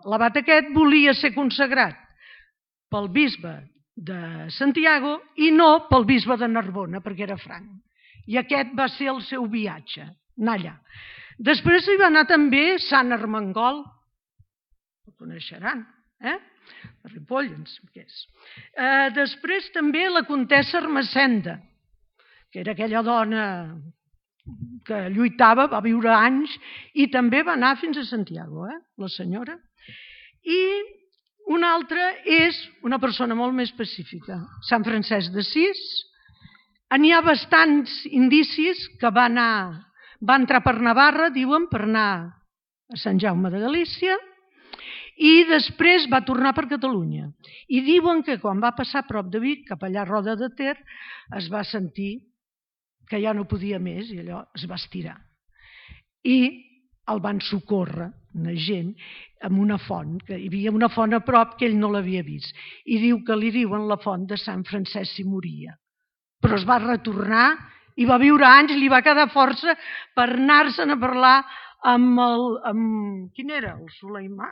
l'abat aquest, volia ser consagrat pel bisbe de Santiago i no pel bisbe de Narbona, perquè era franc. I aquest va ser el seu viatge, anar allà. Després hi va anar també Sant Ermengol, ho coneixeran, de Ripoll, què és. Després també la comtessa Ermessenda, que era aquella dona que lluitava, va viure anys, i també va anar fins a Santiago, la senyora. I una altra és una persona molt més específica, Sant Francesc d'Assís. N'hi ha bastants indicis que va entrar per Navarra, diuen, per anar a Sant Jaume de Galícia, i després va tornar per Catalunya. I diuen que quan va passar a prop de Vic, cap allà a Roda de Ter, es va sentir que ja no podia més i allò es va estirar. I el van socórrer una gent amb una font, que hi havia una font a prop que ell no l'havia vist. I diu que li diuen la font de Sant Francesc si moria. Però es va retornar i va viure anys, li va quedar força per anar-se'n a parlar amb quin era? El Suleimà?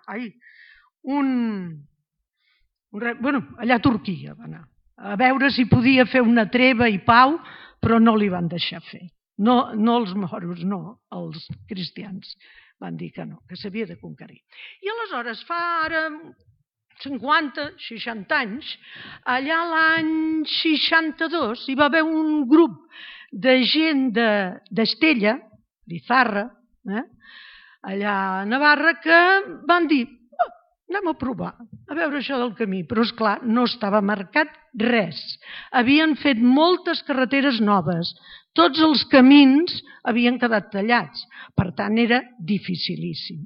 Allà a Turquia va anar. A veure si podia fer una treva i pau, però no li van deixar fer. No els moros, no, els cristians. Van dir que no, que s'havia de conquerir. I aleshores, fa ara 50, 60 anys, allà l'any 62, hi va haver un grup de gent d'Estella, d'Izarra, allà a Navarra, que van dir, anem a provar, a veure això del camí. Però, esclar, no estava marcat res. Havien fet moltes carreteres noves. Tots els camins havien quedat tallats. Per tant, era dificilíssim.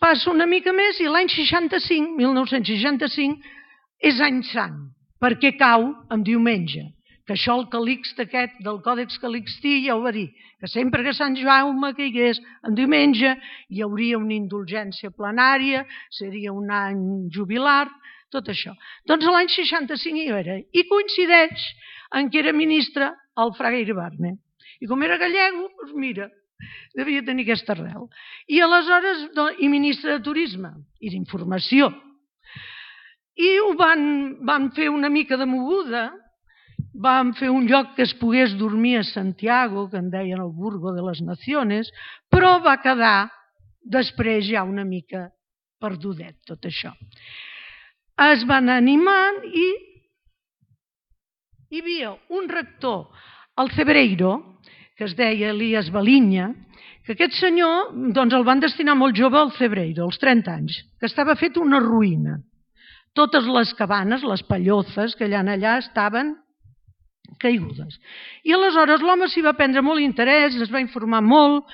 Passa una mica més i l'any 65, 1965, és any sant, perquè cau en diumenge. Que això el Calixt aquest del Còdex Calixtí ja ho va dir, que sempre que Sant Jaume caigués en diumenge hi hauria una indulgència plenària, seria un any jubilar, tot això. Doncs l'any 65 hi era, i coincideix en què era ministre el Fraga Iribarne. I com era gallego, doncs mira, devia tenir aquesta arrel. I aleshores, i ministre de Turisme i d'Informació. I ho van fer una mica de moguda, van fer un lloc que es pogués dormir a Santiago, que en deien el Burgo de les Naciones, però va quedar després ja una mica perdudet tot això. Es van animant i hi havia un rector, el Cebreiro, que es deia Elias Balinya, que aquest senyor doncs el van destinar molt jove al Cebreiro, als 30 anys, que estava fet una ruïna. Totes les cabanes, les pallozes que allà estaven caigudes. I aleshores l'home s'hi va prendre molt interès, es va informar molt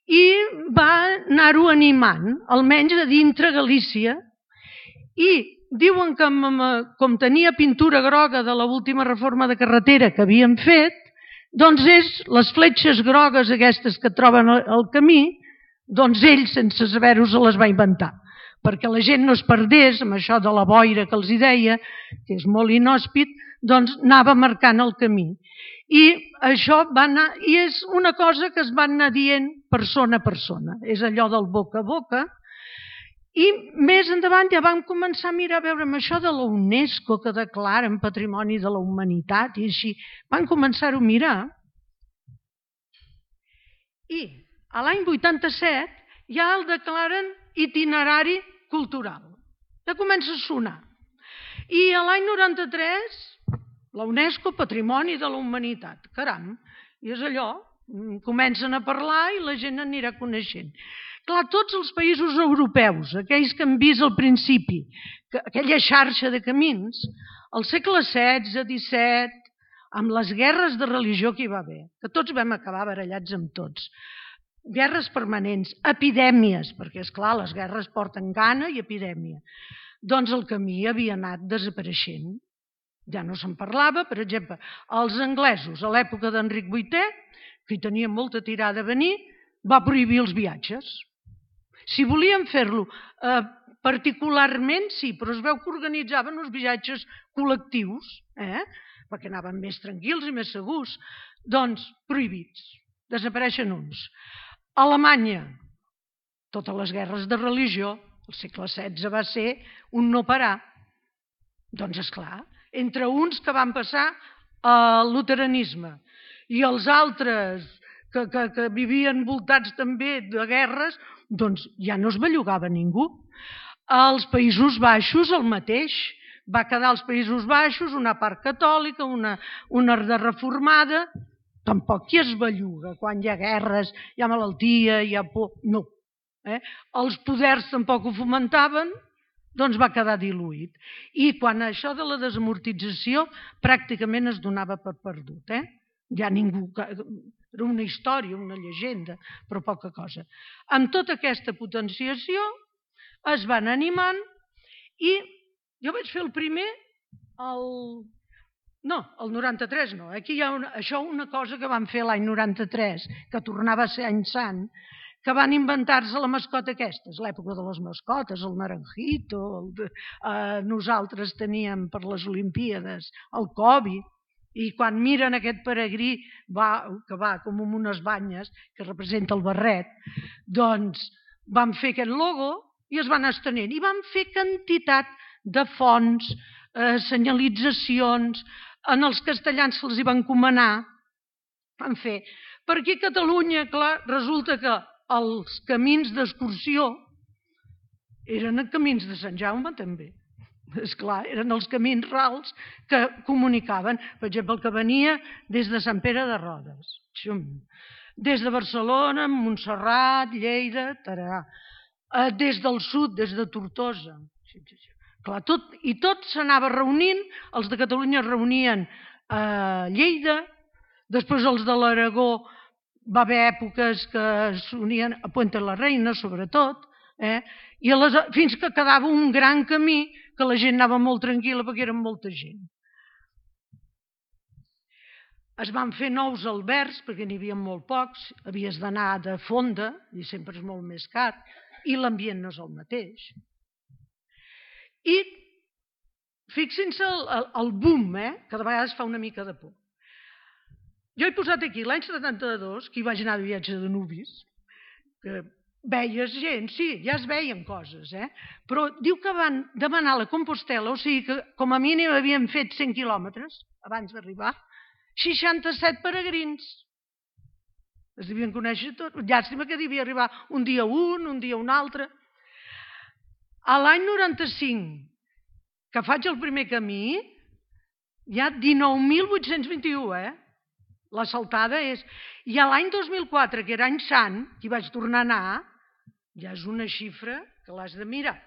i va anar-ho animant, almenys a dintre Galícia, i diuen que com tenia pintura groga de l'última reforma de carretera que havien fet, doncs les fletxes grogues aquestes que troben al camí, doncs ell, sense saber-ho, se les va inventar, perquè la gent no es perdés amb això de la boira que els hi deia, que és molt inhòspit, doncs anava marcant el camí. I això va anar, i és una cosa que es va anar dient persona a persona, és allò del boca a boca, i més endavant ja vam començar a mirar, a veure, amb això de la UNESCO que declaren Patrimoni de la Humanitat i així, van començar-ho a mirar. I a l'any 87 ja el declaren itinerari cultural. Ja comença a sonar. I a l'any 93 la UNESCO Patrimoni de la Humanitat. Caram, i és allò, comencen a parlar i la gent anirà coneixent. Clar, tots els països europeus, aquells que hem vist al principi, aquella xarxa de camins, al segle XVI, XVII, amb les guerres de religió que hi va haver, que tots vam acabar barallats amb tots, guerres permanents, epidèmies, perquè, esclar, les guerres porten gana i epidèmia, doncs el camí havia anat desapareixent. Ja no se'n parlava, per exemple, els anglesos, a l'època d'Enric VIII, que hi tenien molta tirada a venir, va prohibir els viatges. Si volien fer-lo particularment, sí, però es veu que organitzaven uns viatges col·lectius, perquè anaven més tranquils i més segurs, doncs prohibits, desapareixen uns. A Alemanya, totes les guerres de religió, el segle XVI va ser un no parar. Doncs esclar, entre uns que van passar al luteranisme i els altres que vivien voltats també de guerres, doncs ja no es bellugava ningú. Als Països Baixos el mateix. Va quedar als Països Baixos una part catòlica, una de reformada. Tampoc qui es belluga quan hi ha guerres, hi ha malaltia, hi ha por... No. Els poders tampoc ho fomentaven, doncs va quedar diluït. I quan això de la desamortització pràcticament es donava per perdut. Ja ningú... Era una història, una llegenda, però poca cosa. Amb tota aquesta potenciació es van animant i jo vaig fer el primer el 93 no. Aquí hi ha una cosa que van fer l'any 93, que tornava a ser any sant, que van inventar-se la mascota aquesta, és l'època de les mascotes, el naranjito, nosaltres teníem per les Olimpíades el Covid, i quan miren aquest peregrí que va com amb unes banyes, que representa el barret, doncs van fer aquest logo i es van estenent. I van fer quantitat de fonts, senyalitzacions, en els castellans se'ls hi van encomanar. Van fer. Per aquí a Catalunya, clar, resulta que els camins d'excursió eren camins de Sant Jaume també. Esclar, eren els camins rals que comunicaven, per exemple, el que venia des de Sant Pere de Rodes, des de Barcelona, Montserrat, Lleida, Tarà, des del sud, des de Tortosa. Clar, tot s'anava reunint, els de Catalunya es reunien a Lleida, després els de l'Aragó va haver èpoques que s'unien a Puente la Reina, sobretot, i fins que quedava un gran camí que la gent anava molt tranquil·la perquè eren molta gent. Es van fer nous albergs perquè n'hi havia molt pocs, havies d'anar de fonda i sempre és molt més car i l'ambient no és el mateix. I fixin-se el boom, que de vegades fa una mica de por. Jo he posat aquí l'any 72, que hi vaig anar de viatge de nuvis, que veies gent, sí, ja es veien coses, però diu que van demanar la Compostela, o sigui que com a mínim havien fet 100 quilòmetres abans d'arribar, 67 peregrins. Es devien conèixer tot. Llàstima que devia arribar un dia un dia un altre. A l'any 95, que faig el primer camí, hi ha 19.821, La saltada és... I a l'any 2004, que era any sant, que hi vaig tornar a anar, ja és una xifra que l'has de mirar.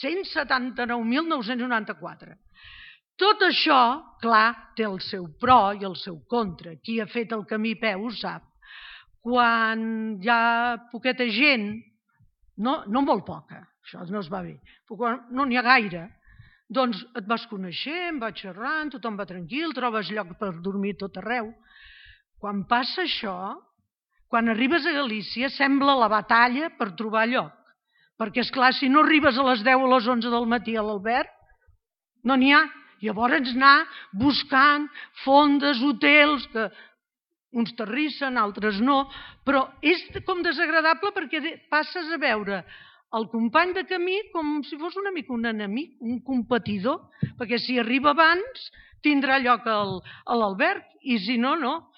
179.994. Tot això, clar, té el seu pro i el seu contra. Qui ha fet el camí a peu ho sap. Quan hi ha poqueta gent, no molt poca, això no es va bé, però quan no n'hi ha gaire, doncs et vas coneixent, vas xerrant, tothom va tranquil, trobes lloc per dormir tot arreu. Quan passa això, quan arribes a Galícia, sembla la batalla per trobar lloc. Perquè, esclar, si no arribes a les 10 o a les 11 del matí a l'alberg, no n'hi ha. Llavors anar buscant fondes, hotels, que uns terrissen, altres no, però és com desagradable perquè passes a veure el company de camí com si fos una mica un enemic, un competidor, perquè si arriba abans tindrà lloc a l'alberg i si no, no.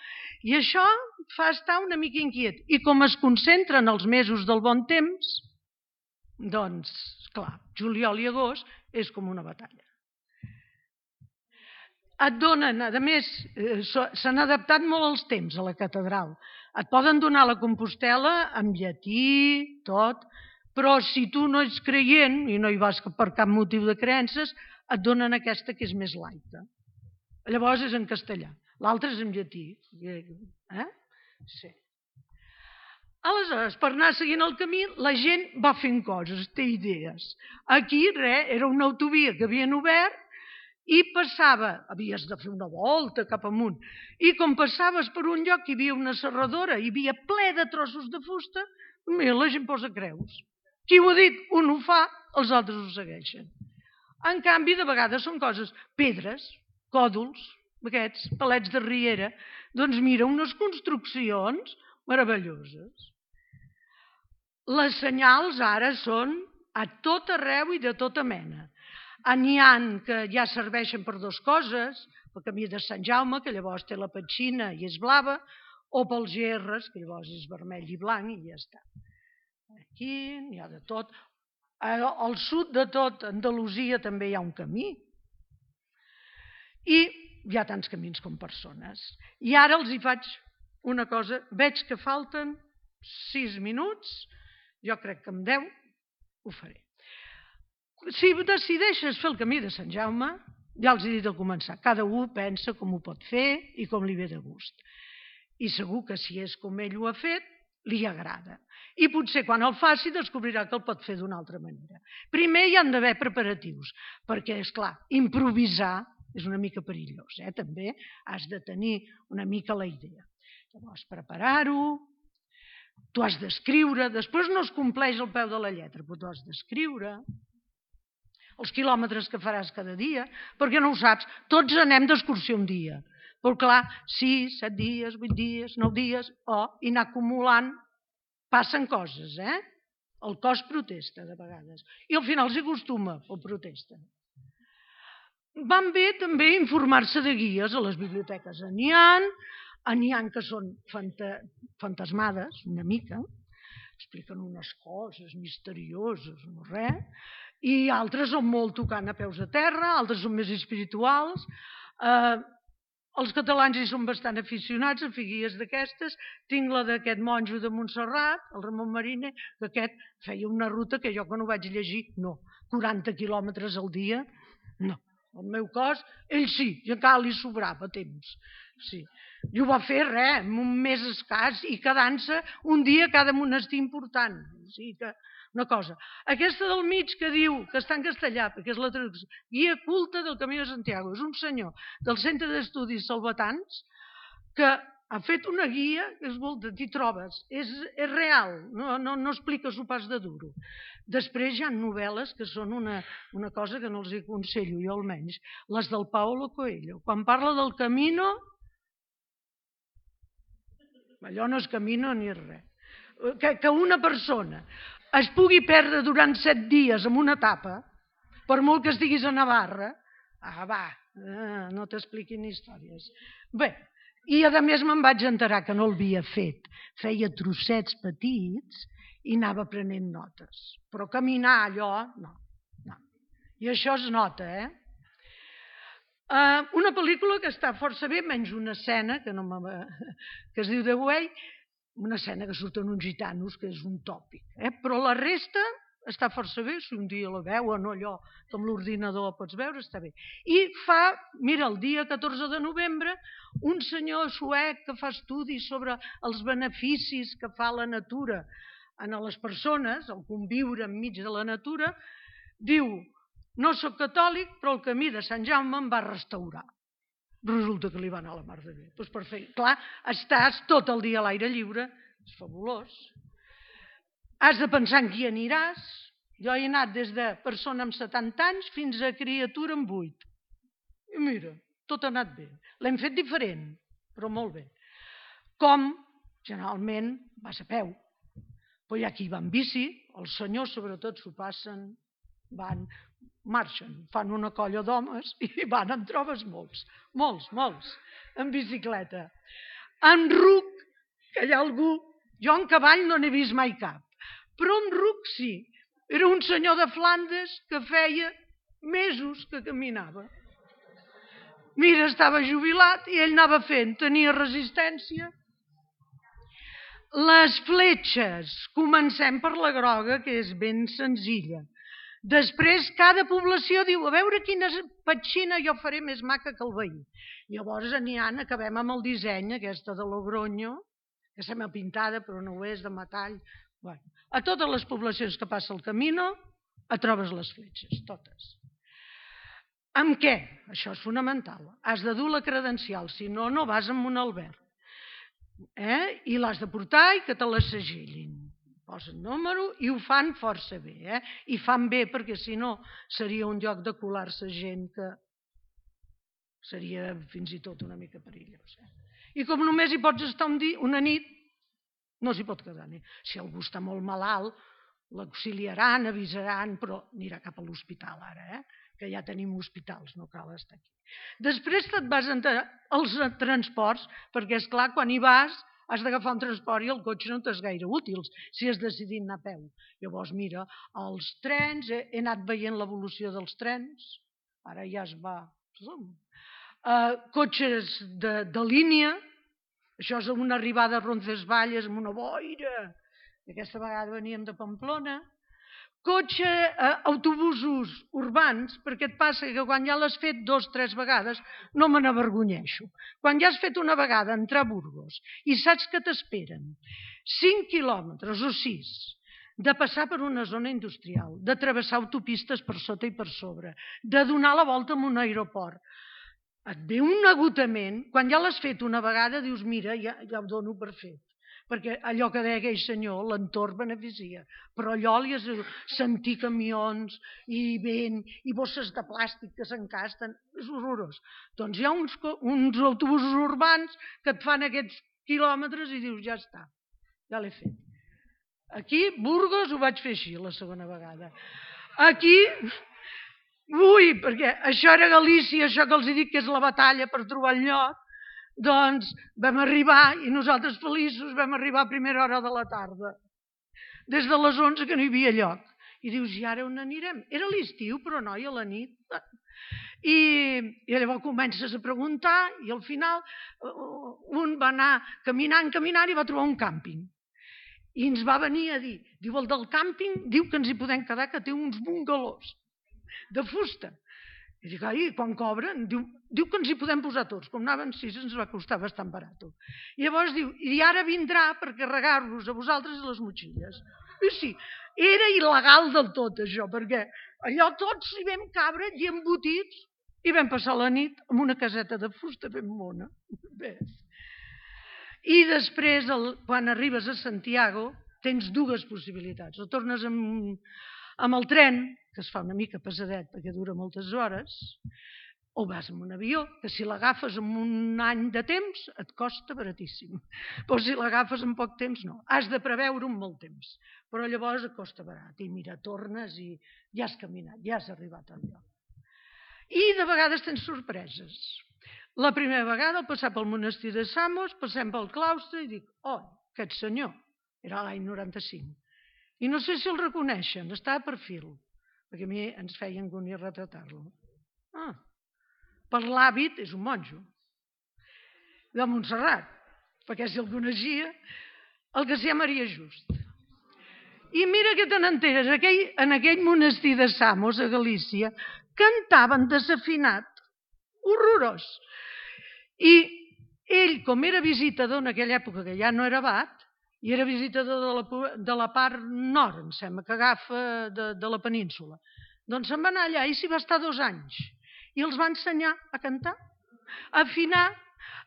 I això fa estar una mica inquiet. I com es concentren els mesos del bon temps, doncs, clar, juliol i agost és com una batalla. Et donen, a més, s'han adaptat molt els temps a la catedral. Et poden donar la Compostela en llatí, tot, però si tu no ets creient i no hi vas per cap motiu de creences, et donen aquesta que és més laica. Llavors és en castellà, l'altre és en llatí. Sí. Aleshores, per anar seguint el camí, la gent va fent coses, té idees. Aquí, era una autovia que havien obert i passava, havies de fer una volta cap amunt, i com passaves per un lloc hi havia una serradora, hi havia ple de trossos de fusta, mira, la gent posa creus. Qui ho ha dit? Un ho fa, els altres ho segueixen. En canvi, de vegades són coses, pedres, còdols, aquests palets de riera, doncs mira, unes construccions meravelloses. Les senyals ara són a tot arreu i de tota mena. N'hi ha que ja serveixen per dues coses, pel camí de Sant Jaume, que llavors té la petxina i és blava, o pels gerres, que llavors és vermell i blanc i ja està. Aquí n'hi ha de tot. Al sud de tot, Andalusia, també hi ha un camí. I hi ha tants camins com persones. I ara els hi faig una cosa. Veig que falten 6 minuts. Jo crec que amb 10 ho faré. Si decideixes fer el camí de Sant Jaume, ja els he dit al començar, cada un pensa com ho pot fer i com li ve de gust. I segur que si és com ell ho ha fet, li agrada. I potser quan el faci descobrirà que el pot fer d'una altra manera. Primer hi han d'haver preparatius, perquè, esclar, improvisar és una mica perillós, també has de tenir una mica la idea. Llavors, preparar-ho, tu has d'escriure, després no es compleix al peu de la lletra, però tu has d'escriure els quilòmetres que faràs cada dia, perquè no ho saps, tots anem d'excursió un dia, però clar, 6, 7 dies, 8 dies, 9 dies, i anar acumulant, passen coses, El cos protesta de vegades, i al final s'hi acostuma, o protesta. Van bé també informar-se de guies, a les biblioteques n'hi ha que són fantasmades, una mica, expliquen unes coses misterioses, no res, i altres són molt tocant a peus a terra, altres són més espirituals. Els catalans hi són bastant aficionats a fer guies d'aquestes. Tinc la d'aquest monjo de Montserrat, el Ramon Mariner, que aquest feia una ruta que jo quan ho vaig llegir, no, 40 quilòmetres al dia, no. El meu cos, ell sí, i encara li sobrava temps. Sí. I ho va fer en un mes escàs i quedant-se un dia a cada monestir important. O sigui que, una cosa. Aquesta del mig que diu, que està en castellà, perquè és la traducció, Guia culta del Camí de Santiago, és un senyor del Centre d'Estudis Salvatans que ha fet una guia que t'hi trobes, és real, no explica s'ho pas de duro. Després hi ha novel·les que són una cosa que no els aconsello, jo almenys, les del Paulo Coelho. Quan parla del camino, allò no és camino ni res. Que una persona es pugui perdre durant 7 dies en una etapa, per molt que estiguis a Navarra, no t'expliquin històries. Bé, i a més me'n vaig enterar que no l'havia fet. Feia trossets petits i anava prenent notes. Però caminar allò, no. I això es nota, Una pel·lícula que està força bé, menys una escena que es diu The Way, una escena que surten uns gitanos, que és un tòpic. Però la resta està força bé, si un dia la veuen o allò que amb l'ordinador pots veure, està bé. I mira, el dia 14 de novembre, un senyor suec que fa estudis sobre els beneficis que fa la natura a les persones, el conviure enmig de la natura, diu, no soc catòlic, però el camí de Sant Jaume em va restaurar. Resulta que li va anar a la mar de bé. Doncs perfecte. Clar, estàs tot el dia a l'aire lliure, és fabulós. Has de pensar en qui aniràs. Jo he anat des de persona amb 70 anys fins a criatura amb 8. I mira, tot ha anat bé. L'hem fet diferent, però molt bé. Com, generalment, vas a peu. Però hi ha qui va en bici, els senyors sobretot s'ho passen, marxen, fan una colla d'homes i van, en trobes molts, en bicicleta. En ruc, que hi ha algú, jo en cavall no n'he vist mai cap, però en ruc sí. Era un senyor de Flandes que feia mesos que caminava. Mira, estava jubilat i ell anava fent, tenia resistència. Les fletxes. Comencem per la groga, que és ben senzilla. Després, cada població diu, a veure quina petxina jo faré més maca que el veí. Llavors acabem amb el disseny, aquesta de Logroño, que sembla pintada, però no ho és, de metall. Bueno, a totes les poblacions que passa el Camino, et trobes les fletxes, totes. Amb què? Això és fonamental. Has de dur la credencial, si no, no vas amb un alberg. I l'has de portar i que te la segellin. Posen número i ho fan força bé. I fan bé perquè si no seria un lloc de colar-se gent que seria fins i tot una mica perillós. I com només hi pots estar una nit, no s'hi pot quedar. Si algú està molt malalt, l'auxiliaran, avisaran, però anirà cap a l'hospital ara, que ja tenim hospitals, no cal estar aquí. Després te't vas entrar als transports, perquè, esclar, quan hi vas, has d'agafar un transport i el cotxe no t'és gaire útil, si has decidit anar a peu. Llavors, mira, els trens, he anat veient l'evolució dels trens, ara ja es va... Cotxes de línia, això és una arribada a Roncesvalles amb una boira, aquesta vegada veníem de Pamplona. Autobusos urbans, perquè et passa que quan ja l'has fet 2 o 3 vegades no me n'avergonyeixo. Quan ja has fet una vegada entrar a Burgos i saps que t'esperen 5 quilòmetres o 6 de passar per una zona industrial, de travessar autopistes per sota i per sobre, de donar la volta en un aeroport, et ve un agotament. Quan ja l'has fet una vegada dius, mira, ja ho dono per fet. Perquè allò que deia aquell senyor, l'entorn beneficia, però allò li has de sentir camions i vent i bosses de plàstic que s'encasten, és horrorós. Doncs hi ha uns autobusos urbans que et fan aquests quilòmetres i dius, ja està, ja l'he fet. Aquí, Burgos, ho vaig fer així la segona vegada. Aquí, perquè això era Galícia, això que els dic que és la batalla per trobar el lloc, doncs vam arribar, i nosaltres feliços vam arribar a primera hora de la tarda. Des de les 11 que no hi havia lloc. I dius, i ara on anirem? Era l'estiu, però noi, a la nit. I llavors comences a preguntar i al final un va anar caminant i va trobar un càmping. I ens va venir a dir, diu, el del càmping diu que ens hi podem quedar, que té uns bungalós de fusta. I dic, ai, quan cobren? Diu que ens hi podem posar tots. Com anaven 6, ens va costar bastant barat. I llavors diu, i ara vindrà per carregar-vos a vosaltres les motxilles. I sí, era il·legal del tot això, perquè allò tots hi vam cabre i embotits i vam passar la nit en una caseta de fusta ben mona. I després, quan arribes a Santiago, tens 2 possibilitats. O tornes amb el tren, que es fa una mica pesadet perquè dura moltes hores, o vas amb un avió, que si l'agafes en un any de temps et costa baratíssim. Però si l'agafes en poc temps, no. Has de preveure un molt temps, però llavors et costa barat. I mira, tornes i ja has caminat, ja has arribat al lloc. I de vegades tens sorpreses. La primera vegada, al passar pel monestir de Samos, passem pel claustre i dic, oh, aquest senyor, era l'any 95. I no sé si el reconeixen, està a perfil, perquè a mi ens feia angúnia retratar-lo. Per l'hàbit és un monjo, de Montserrat, perquè si el coneixia, el que s'hi Maria Just. I mira que te n'enteres, en aquell monestir de Samos, a Galícia, cantaven desafinat, horrorós. I ell, com era visitador en aquella època, que ja no era abat, i era visitador de la part nord, em sembla, que agafa de la península. Doncs se'n va anar allà i s'hi va estar 2 anys. I els va ensenyar a cantar, a afinar,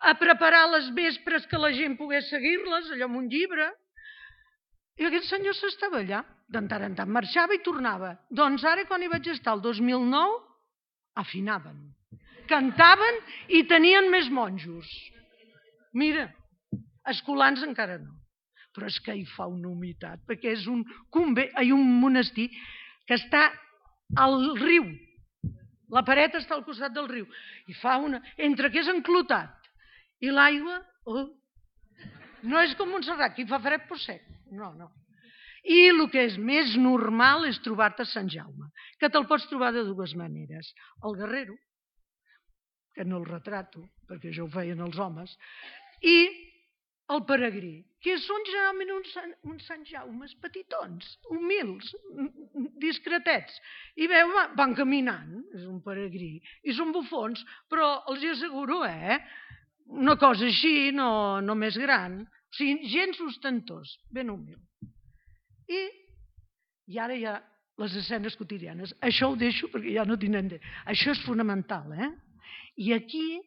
a preparar les vespres que la gent pogués seguir-les, allò amb un llibre. I aquest senyor s'estava allà. De tant en tant marxava i tornava. Doncs ara, quan hi vaig estar el 2009, afinaven. Cantaven i tenien més monjos. Mira, escolans encara no. Però és que hi fa una humitat, perquè és un monestir que està al riu. La paret està al costat del riu. I fa una... Entre que és enclotat i l'aigua... No és com Montserrat, que hi fa fred però sec. No. I el que és més normal és trobar-te a Sant Jaume, que te'l pots trobar de 2 maneres. El guerrero, que no el retrato, perquè això ho feien els homes, i el peregrí, que són generalment uns Sant Jaumes petitons, humils, discretets. I veu, van caminant, és un peregrí, i són bufons, però els hi asseguro, una cosa així, no més gran, o sigui, gens ostentós, ben humil. I ara hi ha les escenes quotidianes. Això ho deixo perquè ja no tindrem temps. Això és fonamental, I aquí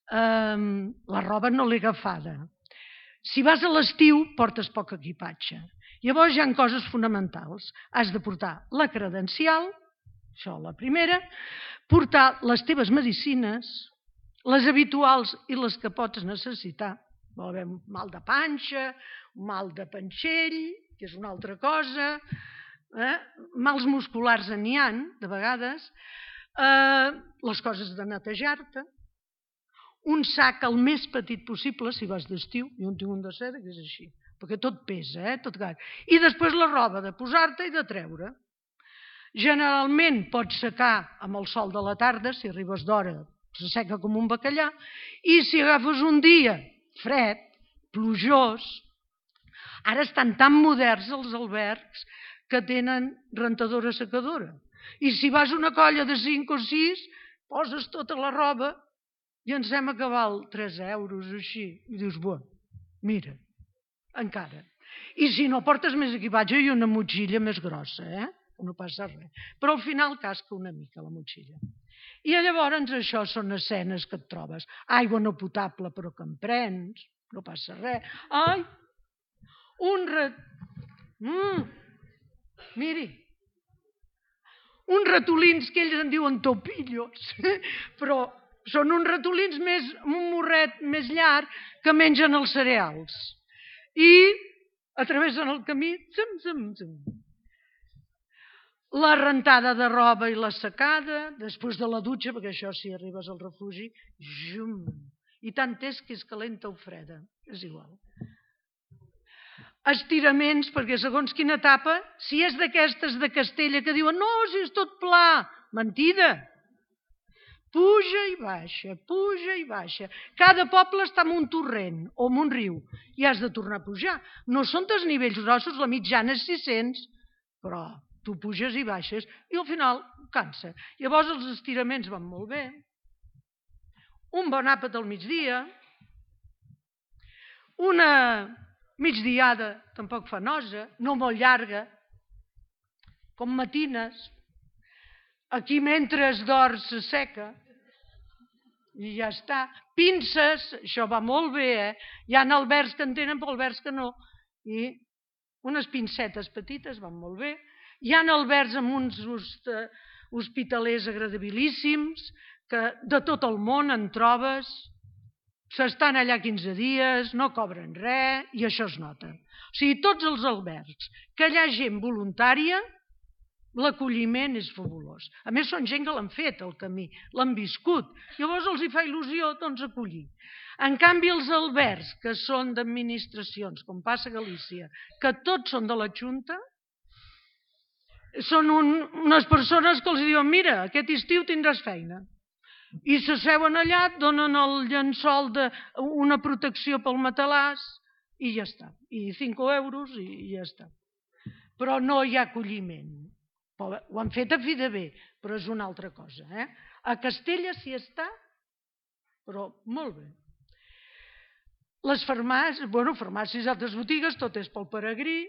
la roba no l'he agafada. Si vas a l'estiu, portes poc equipatge. Llavors hi ha coses fonamentals. Has de portar la credencial, això la primera, portar les teves medicines, les habituals i les que pots necessitar. Vol haver un mal de panxa, un mal de panxell, que és una altra cosa, mals musculars n'hi ha, de vegades, les coses de netejar-te, un sac el més petit possible, si vas d'estiu, jo en tinc un de seda que és així, perquè tot pesa, tot gat. I després la roba de posar-te i de treure. Generalment pots secar amb el sol de la tarda, si arribes d'hora s'asseca com un bacallà, i si agafes un dia fred, plujós, ara estan tan moderns els albergs que tenen rentadora secadora. I si vas a una colla de 5 o 6, poses tota la roba i ens hem que val 3 euros o així. I dius, mira, encara. I si no, portes més equipatge i una motxilla més grossa, no passa res. Però al final casca una mica la motxilla. I llavors això són escenes que et trobes. Aigua no potable però que en prens, no passa res. Ai, miri, uns ratolins que ells en diuen topillos, però són uns ratolins amb un morret més llarg que mengen els cereals. I atravessen el camí, la rentada de roba i la secada, després de la dutxa, perquè això si arribes al refugi, i tant és que és calenta o freda, és igual. Estiraments, perquè segons quina etapa, si és d'aquestes de Castella que diuen no, si és tot pla, mentida. Puja i baixa. Cada poble està en un torrent o en un riu i has de tornar a pujar. No són desnivells grossos, la mitjana és 600, però tu puges i baixes i al final cansa. Llavors els estiraments van molt bé. Un bon àpat al migdia, una migdiada tampoc fa nosa, no molt llarga, com matines. Aquí mentre es dorm s'asseca i ja està. Pinces, això va molt bé, Hi ha albergs que en tenen però albergs que no. I unes pincetes petites van molt bé. Hi ha albergs amb uns hospitalers agradabilíssims que de tot el món en trobes. S'estan allà 15 dies, no cobren res i això es nota. O sigui, tots els albergs que hi ha gent voluntària, l'acolliment és fabulós. A més, són gent que l'han fet, el camí, l'han viscut. Llavors els hi fa il·lusió, acollir. En canvi, els albergs, que són d'administracions, com passa a Galícia, que tots són de la Junta, són unes persones que els diuen mira, aquest estiu tindràs feina. I s'asseuen allà, et donen el llençol d'una protecció pel matalàs i ja està. I 5 euros i ja està. Però no hi ha acolliment. Ho han fet a fi de bé, però és una altra cosa. A Castella s'hi està, però molt bé. Les farmàcies i altres botigues, tot és pel peregrí,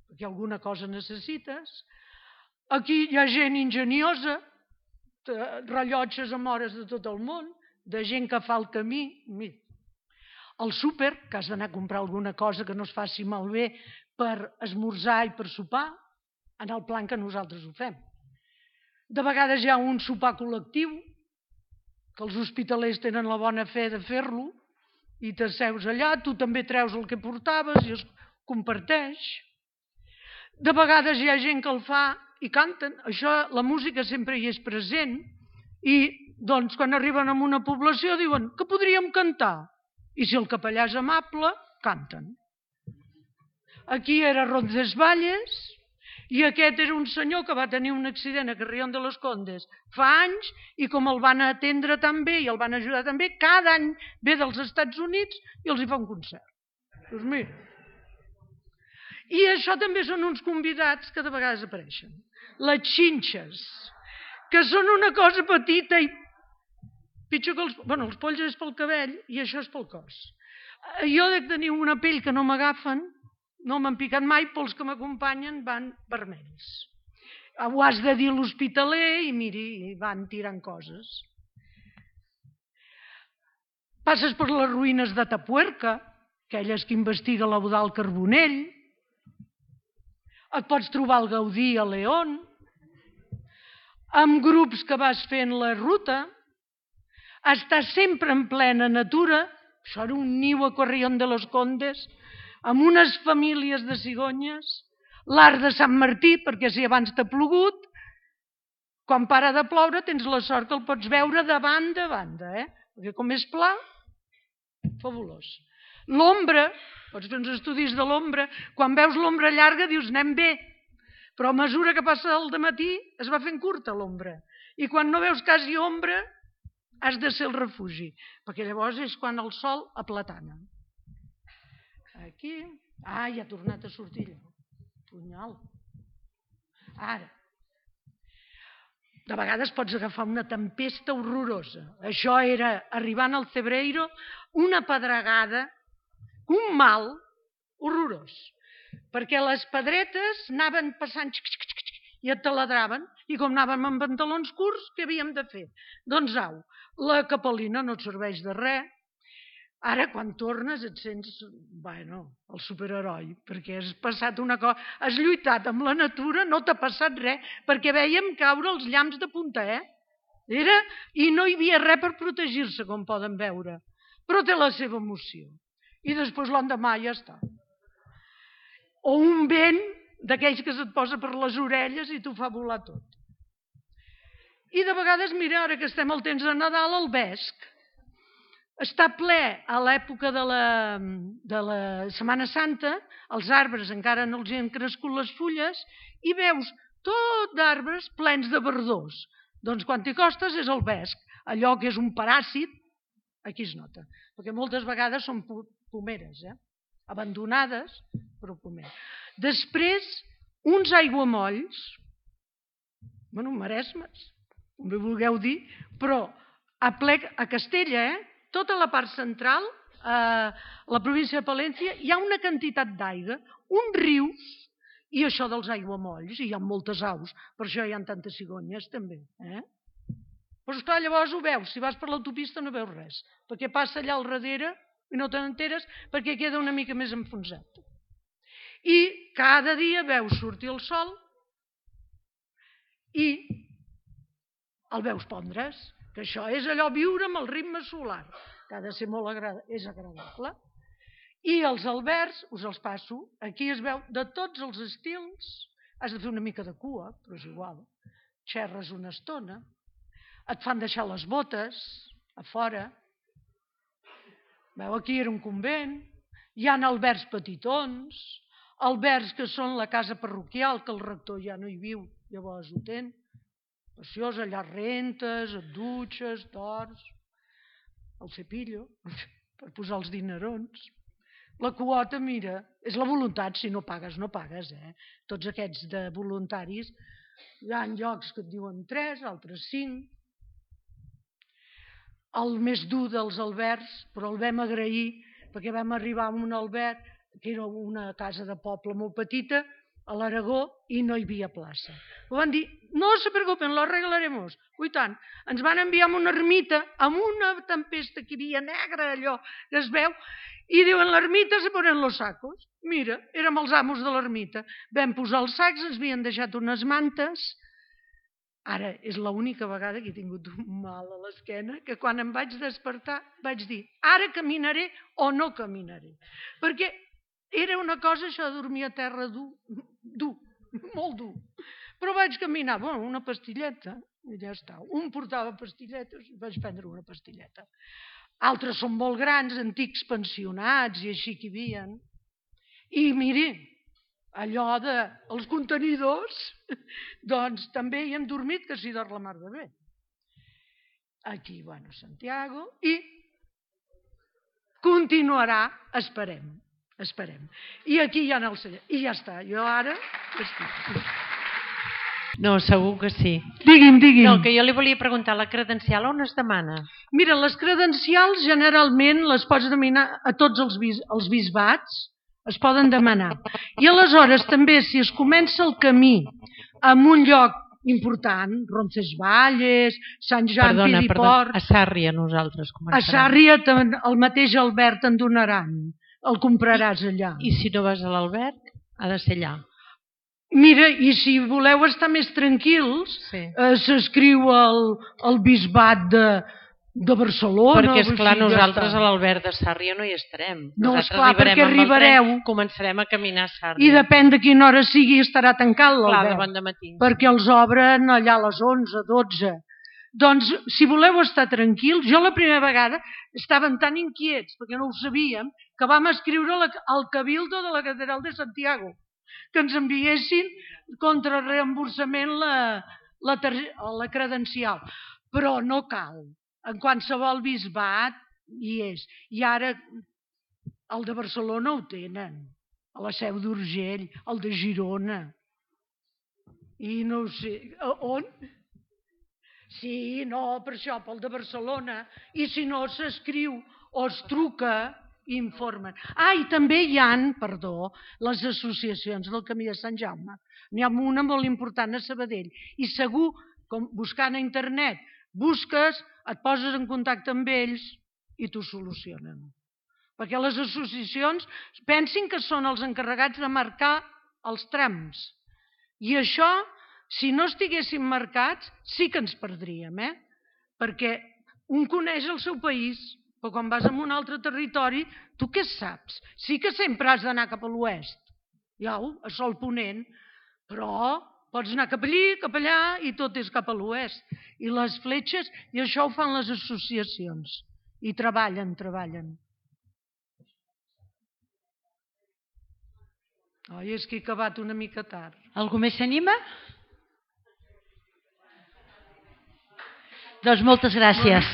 perquè alguna cosa necessites. Aquí hi ha gent enginyosa, rellotges amb hores de tot el món, de gent que fa el camí. Al súper, que has d'anar a comprar alguna cosa que no es faci malbé per esmorzar i per sopar, en el plan que nosaltres ho fem. De vegades hi ha un sopar col·lectiu, que els hospitalers tenen la bona fe de fer-lo, i t'asseus allà, tu també treus el que portaves i es comparteix. De vegades hi ha gent que el fa i canten. Això, la música sempre hi és present, i doncs quan arriben a una població diuen que podríem cantar. I si el capellà és amable, canten. Aquí era Roncesvalles, i aquest era un senyor que va tenir un accident a Carrión de los Condes fa anys i com el van atendre tan bé i el van ajudar tan bé, cada any ve dels Estats Units i els hi fa un concert. Doncs mira. I això també són uns convidats que de vegades apareixen. Les xinxes, que són una cosa petita i pitjor que els... Bueno, els polls és pel cabell i això és pel cos. Jo dec tenir una pell que no m'agafen, no m'han picat mai, però els que m'acompanyen van vermells. Ho has de dir a l'hospitaler i miri, van tirant coses. Passes per les ruïnes de Tapuerca, aquelles que investiga l'Eudald Carbonell. Et pots trobar el Gaudí a León, amb grups que vas fent la ruta. Estàs sempre en plena natura. Això era un niu a Corrión de los Condes, amb unes famílies de cigonyes. L'Arc de Sant Martí, perquè si abans t'ha plogut, quan para de ploure tens la sort que el pots veure de banda a banda, perquè com és pla, fabulós. L'ombra, pots fer uns estudis de l'ombra, quan veus l'ombra llarga dius anem bé, però a mesura que passa el dematí es va fent curta l'ombra, i quan no veus quasi ombra has de ser el refugi, perquè llavors és quan el sol aplatana. Aquí, ja ha tornat a sortir allò. Punyal. Ara, de vegades pots agafar una tempesta horrorosa. Això era, arribant al Cebreiro, una pedregada, un mal horrorós. Perquè les pedretes anaven passant i et taladraven, i com anàvem amb pantalons curts, què havíem de fer? Doncs au, la capelina no et serveix de res. Ara, quan tornes, et sents, el superheroi, perquè has passat una cosa, has lluitat amb la natura, no t'ha passat res, perquè vèiem caure els llamps de punta, i no hi havia res per protegir-se, com poden veure, però té la seva emoció. I després l'endemà ja està. O un vent d'aquells que se't posa per les orelles i t'ho fa volar tot. I de vegades, mira, ara que estem al temps de Nadal, el vesc està ple a l'època de la Setmana Santa, els arbres encara no els han crescut les fulles, i veus tot d'arbres plens de verdors. Doncs quan t'hi costes és el vesc, allò que és un paràsit, aquí es nota, perquè moltes vegades són pomeres, abandonades, però pomeres. Després, uns aiguamolls, maresmes, com bé vulgueu dir, però a Castella, tota la part central, a la província de Palència, hi ha una quantitat d'aigua, uns rius, i això dels aiguamolls, i hi ha moltes aus, per això hi ha tantes cigonyes també. Però esclar, llavors ho veus, si vas per l'autopista no veus res, perquè passa allà al darrere i no te n'enteres perquè queda una mica més enfonsat. I cada dia veus sortir el sol i el veus pondre's, que això és allò viure amb el ritme solar, que ha de ser molt agradable. I els albergs, us els passo, aquí es veu de tots els estils, has de fer una mica de cua, però és igual, xerres una estona, et fan deixar les botes a fora, veu, aquí era un convent, hi ha albergs petitons, albergs que són la casa parroquial, que el rector ja no hi viu, llavors ho ten, preciós, allà rentes, et dutxes, dors, el cepillo, per posar els dinerons. La quota, mira, és la voluntat, si no pagues, no pagues. Tots aquests de voluntaris, hi ha llocs que et diuen 3, altres 5. El més dur dels albergs, però el vam agrair, perquè vam arribar a un alberg, que era una casa de poble molt petita, a l'Aragó, i no hi havia plaça. Ho van dir, no se preocupen, lo arreglaremos. Ui tant, ens van enviar a una ermita, amb una tempesta que hi havia negra, allò que es veu, i diuen, l'ermita se ponen los sacos. Mira, érem els amos de l'ermita. Vam posar els sacs, ens havien deixat unes mantes. Ara, és l'única vegada que he tingut un mal a l'esquena, que quan em vaig despertar vaig dir, ara caminaré o no caminaré. Perquè era una cosa, això de dormir a terra dur, molt dur. Però vaig caminar, una pastilleta, i ja està. Un portava pastilletes, vaig prendre una pastilleta. Altres són molt grans, antics pensionats, i així que hi havia. I miri, allò dels contenidors, doncs també hi hem dormit, que s'hi dorm la mar de bé. Aquí, Santiago, i continuarà, esperem. Esperem. I aquí hi ha el senyor. I ja està. Jo ara... No, segur que sí. Digui'm. No, que jo li volia preguntar, la credencial on es demana? Mira, les credencials generalment les pots demanar a tots els bisbats, es poden demanar. I aleshores també, si es comença el camí en un lloc important, Roncesvalles, Sant Joan Piliport... a Sàrria nosaltres començarem. A Sàrria el mateix Albert en donaran, el compraràs allà. I si no vas a l'Alberg, ha de ser allà. Mira, i si voleu estar més tranquils, s'escriu al bisbat de Barcelona. Perquè, esclar, nosaltres a l'Alberg de Sàrria no hi estarem. No, esclar, perquè arribareu. Començarem a caminar a Sàrria. I depèn de quina hora sigui, estarà tancat l'Alberg. Clar, de bon dematí. Perquè els obren allà a les 11, 12. Doncs, si voleu estar tranquils, jo la primera vegada estàvem tan inquiets, perquè no ho sabíem, que vam escriure al Cabildo de la Catedral de Santiago que ens enviessin contra reemborsament la credencial. Però no cal. En qualsevol bisbat hi és. I ara el de Barcelona ho tenen, a la Seu d'Urgell, el de Girona. I no ho sé, on? Sí, no, per això, pel de Barcelona. I si no, s'escriu o es truca, informen. I també hi ha, les associacions del Camí de Sant Jaume. N'hi ha una molt important a Sabadell. I segur, buscant a internet, busques, et poses en contacte amb ells i t'ho solucionen. Perquè les associacions pensin que són els encarregats de marcar els trams. I això, si no estiguessin marcats, sí que ens perdríem, perquè un coneix el seu país, però quan vas a un altre territori, tu què saps? Sí que sempre has d'anar cap a l'oest, a sol ponent, però pots anar cap allí, cap allà, i tot és cap a l'oest. I les fletxes, i això ho fan les associacions, i treballen. Oi, és que he acabat una mica tard. Algú més s'anima? Doncs moltes gràcies.